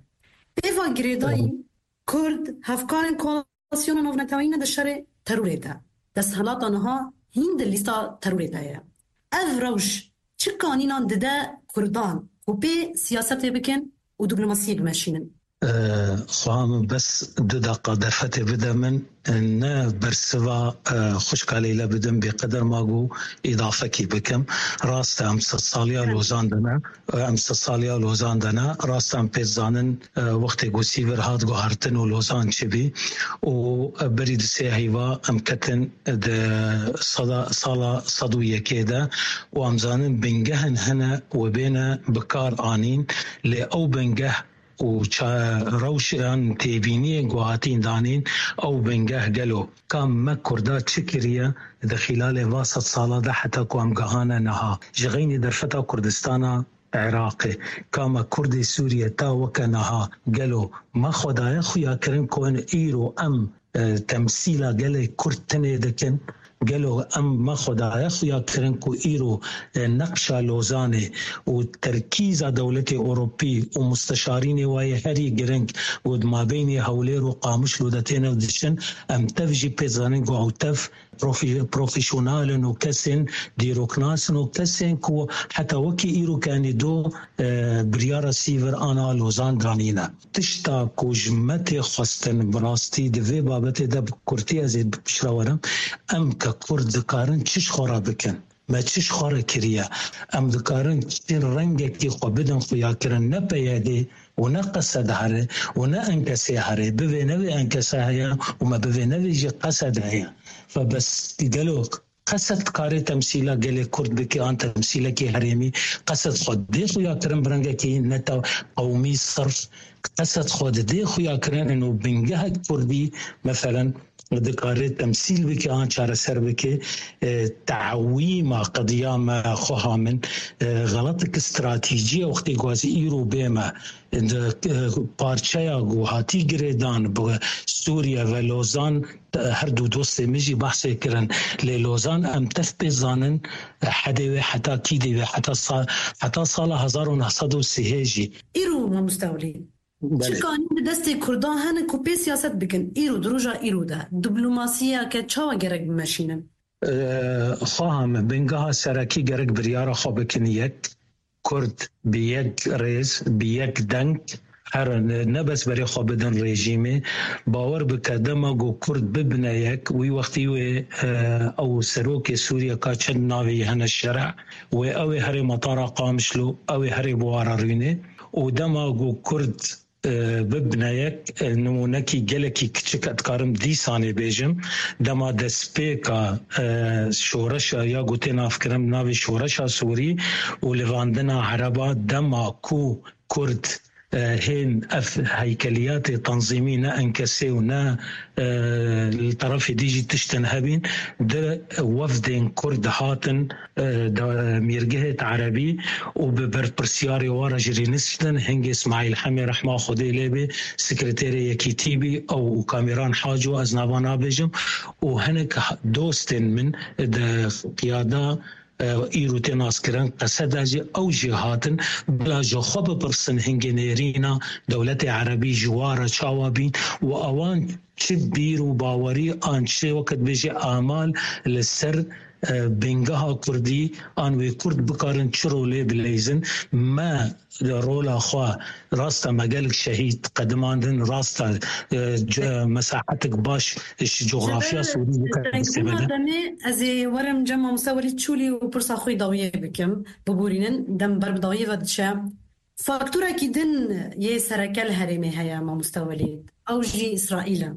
Pêva girêdayî, Kurd hevkarên koalîsyona navneteweyî ne di şerê terorê de. Desthilata niha hîn di lîsta terorê de ye. Ev rewş çi kanînan dide Kurdan ku pê siyasetê bikin û diplomasiyê bimeşînin? Xweha min bes du deqa derfetê bide min, ne bersiva, e, xwişka Leyla bidim, bêqeder ma ku îdafekî bikim. Rast e, em sed saliya Lozan de ne, em sed saliya Lozan de ne. Rast e, em pê dizanin, e, wextê ku Sîvir hat guhertin û Lozan çi bî û, e, berî di sê heyva em ketin di sala, sala sed û yekê de û em zanin bingehên hene we bêne bi kar anîn, lê ew bingeh û ça-, rewşan têbîniyên ku hatîn danîn, ew bingeh gelo ka me Kurda çi kiriye di xîlalê va sed sala de heta ku em gehane niha? Ji xeynî derfeta Kurdistana Iraqê, ka me Kurdê Sûriye ta weke niha gelo me xwe daye xuyakirin ku hin îro em, e, temsîla gelê Kurd tenê dikin? Gelo em me xwe daye xuya kirin ku îro, e, neqşa Lozanê û terkîza dewletê Ewropî û musteşarînê wayê herî giring û di mabeynê Hewlêr û Qamişlo de têne diçin, em tev jî pê zanin ku ew tev profî-, profesyonel in û kesên dîroknas in û kesên ku heta wekî îro kenî do, e, biryara Sîvir ana Lozan danîne. Tişta ku ji me tê xwestin, bi rastî di vê babetê de bi kurtî ez ê bi piştre werim, em ke Kurd dikarin çi ji xwe re bikin? Me çi ji xwe re kiriye? Em dikarin çi rengekî xwe bidin xuyakirin, ne P Y D û ne Qesed here û ne Enkesê here, bivê ne vê Enkese heye û me bivê ne vê jî Qesed heye. Fe bes gelo Qesed dikare temsîla gelê Kurd bike an temsîlekî herêmî? Qesed xwe dê xuya kirin bi rengekî neta qewmî sirf? Qesed xwe didê xuya kirin ino bingehek Kurdî, meselen, dikare temsîl bike an çareser bike? E, te'wîma qediya me xweha min, e, xeletek stratejî ye wextê ku ez îro bême. Di, e, parçeya ku hatî girêdan bi Sûriye ve Lozan, e, her du dostê min jî behsê kirin. Lê Lozan em tev pê zanin, e, hedê wê heta kî dê wê, heta sa-, heta sala hezar û neh sed û sî jî. Îro mamoste Welî, belê, çi kanîn di destê Kurdan hene ku pê siyaset bikin? Îro, di roja îro de diplomasiyeke çawa gerek bimeşînin? E, xweha me bingeha serekî gerek biryara xwe bikin yek. Kurd bi yek rêz, bi yek deng, her ne, ne bes berê xwe bidin rejîmê. Bawer bike, dema ku Kurd bibine yek, wî wextî wê, e, ew serokê Sûriye ka çend navê yê hene şereh, wê ew ê herê Metara Qamişlo, ew ê herê Buhara Rûnê û dema ku Kurd e, bibne yek, e, nimûnekî gelekî kiçik, ez dikarim dîsanê bêjim, dema destpêka, e, şoreşa ya ku tê navkirin navê şoreşa Sûrî û livandina Ereba, dema ku Kurd, e, hên ev heykeliyatê tanzîmî ne enkesê û ne, e, li terefê dî jî tiştin hebîn, di wefdên Kurd hatin, e, da-, mîrgehê Erebî û bi berpirsiyarê wa re jî rîniştin. Hingê Smaîl Hemê rehma Xwedê lê bê, sekreterê Yekîtî bî, ew û Kamîran Haco, ez nava nabêjim, û hinek ha-, dostên min di qiyada, e, îro tê naskirin, Qeseda jî, ew jî hatin, bila ji xwe bipirsin hingê nêrîna dewletê Erebî ji wa re çawa bîn û ewan çi bîr û bawerî an çi wekit bêjî amal li ser, e, bingeha Kurdî an wê Kurd bikarin çi rolê bileyzin. Me rola xwe, rasta me gelek şehîd qedimandin, rasta, e, ce-, mesahetik baş ji coxrafya Sûrî bikar. Demê ez ê werim cem mamoste Welîd Çûlî û pirsa xwe dawiyê bikim, biborînin, dem ber bi dawiyê ve diçe. Faktorekî din yê sereke li herêmê heye, mamoste Welîd. Ew jî Îsraîl e.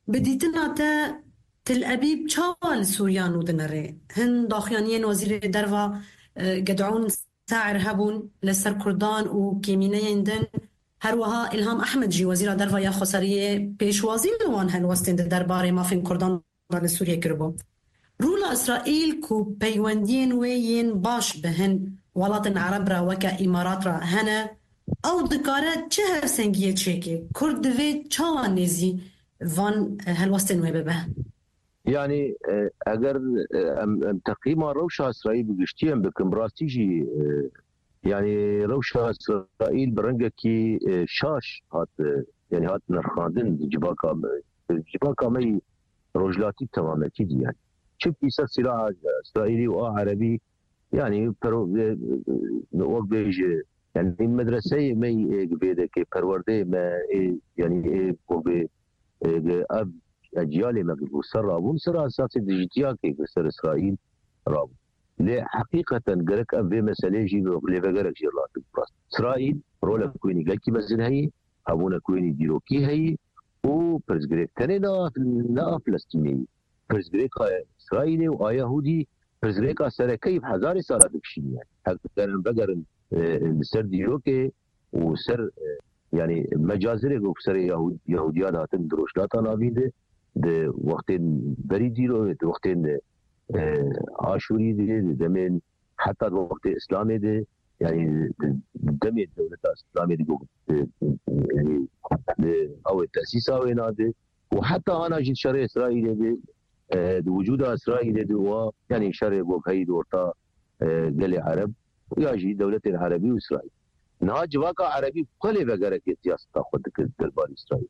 Bi dîtina te, Til Ebîb çawa li Sûriya nû dinere? Hin daxuyaniyên Wezîrê Derva, e, Ged'ûn Sair hebûn li ser Kurdan û kêmîneyên din. Her wiha Îlham Ehmed jî, Wezîra Derva ya Xweseriyê, pêşwazî li wan helwestên di derbarê mafên Kurdan de li Sûriyê kiribû. Rûla Îsraîl ku peywendiyên wê yên baş bi hin welatên Ereb re weke Îmarat re hene, ew dikare çi hevsengiyê çêke? Kurd divê çawa nêzî van, e, helwestên wê bibe? Yanî, e, eger, e, em, em teqîma rewşa Îsraîl bi giştî em bikin, bi rastî jî, e, yanî rewşa Îsraîl bi rengekî, e, şaş hat, e, yanî hat nirxandin di civaka me, di civaka me yî rojhilatî temametî dî yanî. Çimkî ser sîlaha Îsraîlî û a Erebî, yanî pero-, e, e, wek bêje, yanî medreseyê me yê, e, vê deke, perwerdeyê me, e, yanî, e, wek bê, e, ev eciyalê me ku ser rabûn, ser esasê dijitiyakê ku ser Îsraîl rabûn. Lê heqîqeten gerek ev vê meselê jî lêvegerek jê rast. Îsraîl rolek wînî gelkî mezin heye, hebûnek wînî dîrokî heye û pirsgirêk tenê ne a, ne a Filistînê ye. Pirsgirêka Îsraîlê û a Yahûdî pirsgirêka sereke ye bi hezarê sala dikişîne. Heger em vegerin, e, li ser dîrokê û ser, e, yanî mecazirê ku serê Yahû-, Yahûdiyan hatin di Rojhilata Navîn de, di wextên berî dîro, di wextên, e, Aşûrî de, di demên heta di wextê Îslamê de, yanî di, di demê dewleta Îslamê de ku, e, yanî di ew ê tesîsa wêna de û heta ana jî di şerê Îsraîlê de, e, di wicûda Îsraîlê de wa, yanî şerê ku heyî di orta, e, gelê Ereb ya jî dewletên Erebî û Îsraîl. Niha civaka Erebî xwe lê vegereke siyaseta xwe dikir derbarê Îsraîl.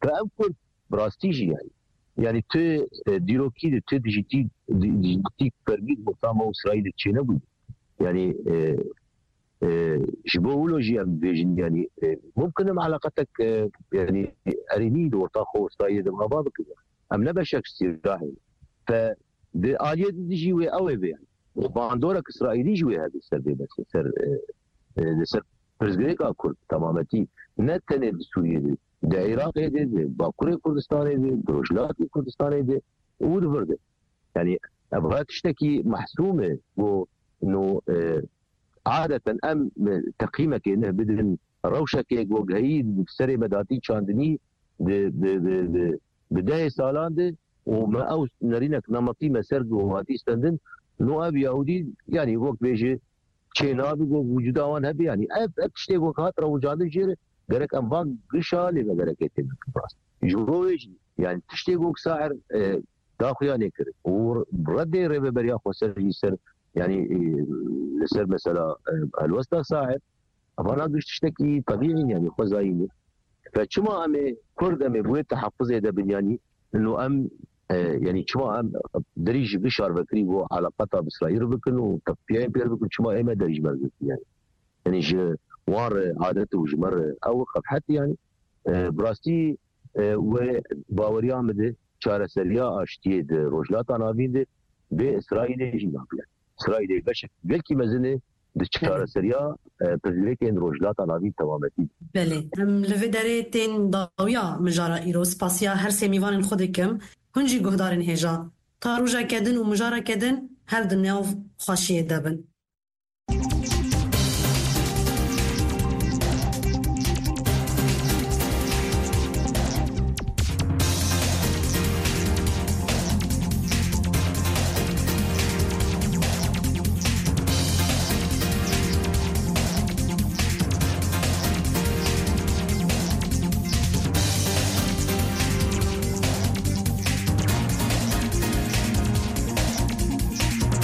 Te ev Kurd bi rastî jî yanî. Yanî tu, e, dîrokî de, tu dijîtî, di-, dijîtî fermî di orta me û Îsraîlê çênebû. Yanî, e, e, ji bo wilo jî em dibêjin, yanî, e, mumkin em eleqetek, e, yanî erênî di orta xwe û Îsraîlê de ava bikin. Em ne beşek ji sîrahê ne. Fe di aliyê di dijî wê ew ê bê yanî. Û bandorek Îsraîlî jî wê hebe ser vê mesê, ser, e, e, li ser pirsgirêka Kurd temametî. Ne tenê di Sûriyê de, di Iraqê de, di Bakurê Kurdistanê de, di Rojhilatê Kurdistanê de û di vir de. Yanî ev tiştekî mehsûm e ku no, e, adeten em, e, teqîmekê neh bidin, rewşekê ku heyî di serê me de hatî çandinî di, di, di, di, di dehê salan de û me ew nerînek nemetî me ser ku hatî stendin, no ev Yahûdî, yanî wek bêje çê nabe ku wicûda wan hebe, yanî ev, ev tiştê ku hat rewicandin jê re gerek em van gişa lê vegerekê tê bikin rast. Ji bo wê jî, yanî tiştê ku sair, e, daxuyanê kirin û redê Rêveberiya Xweser jî ser, yanî, e, li ser mesela, e, helwesta sair, evana giş tiştekî tebîî in, yanî xwezayî ne. Fe çima em ê Kurd em ê bi wê tehaffuzê de bin, yanî ino em, e, yanî çima em derî ji giş şarvekirî bo eleqata bi Îsraîl bikin û tevpiyeyên pêr bikin, çima ê me derî ji me re girtî, yanî. Yanî ji wan re adet û ji me re ew qebhet, yanî, e, bi rastî, e, wê baweriya min de çareseriya aştiyê di Rojhilata Navîn de bê Îsraîlê jî nabe. Îsraîlê beşek gelkî mezin e di çareseriya e, pirsgirêkên Rojhilata Navîn temametî. Belê, em li vê derê tên dawiya mijara îro. Spasiya her sê mîvanên xwe dikim. Hûn jî guhdarên hêja, ta rojeke din û mijareke din her di nav xweşiyê de bin.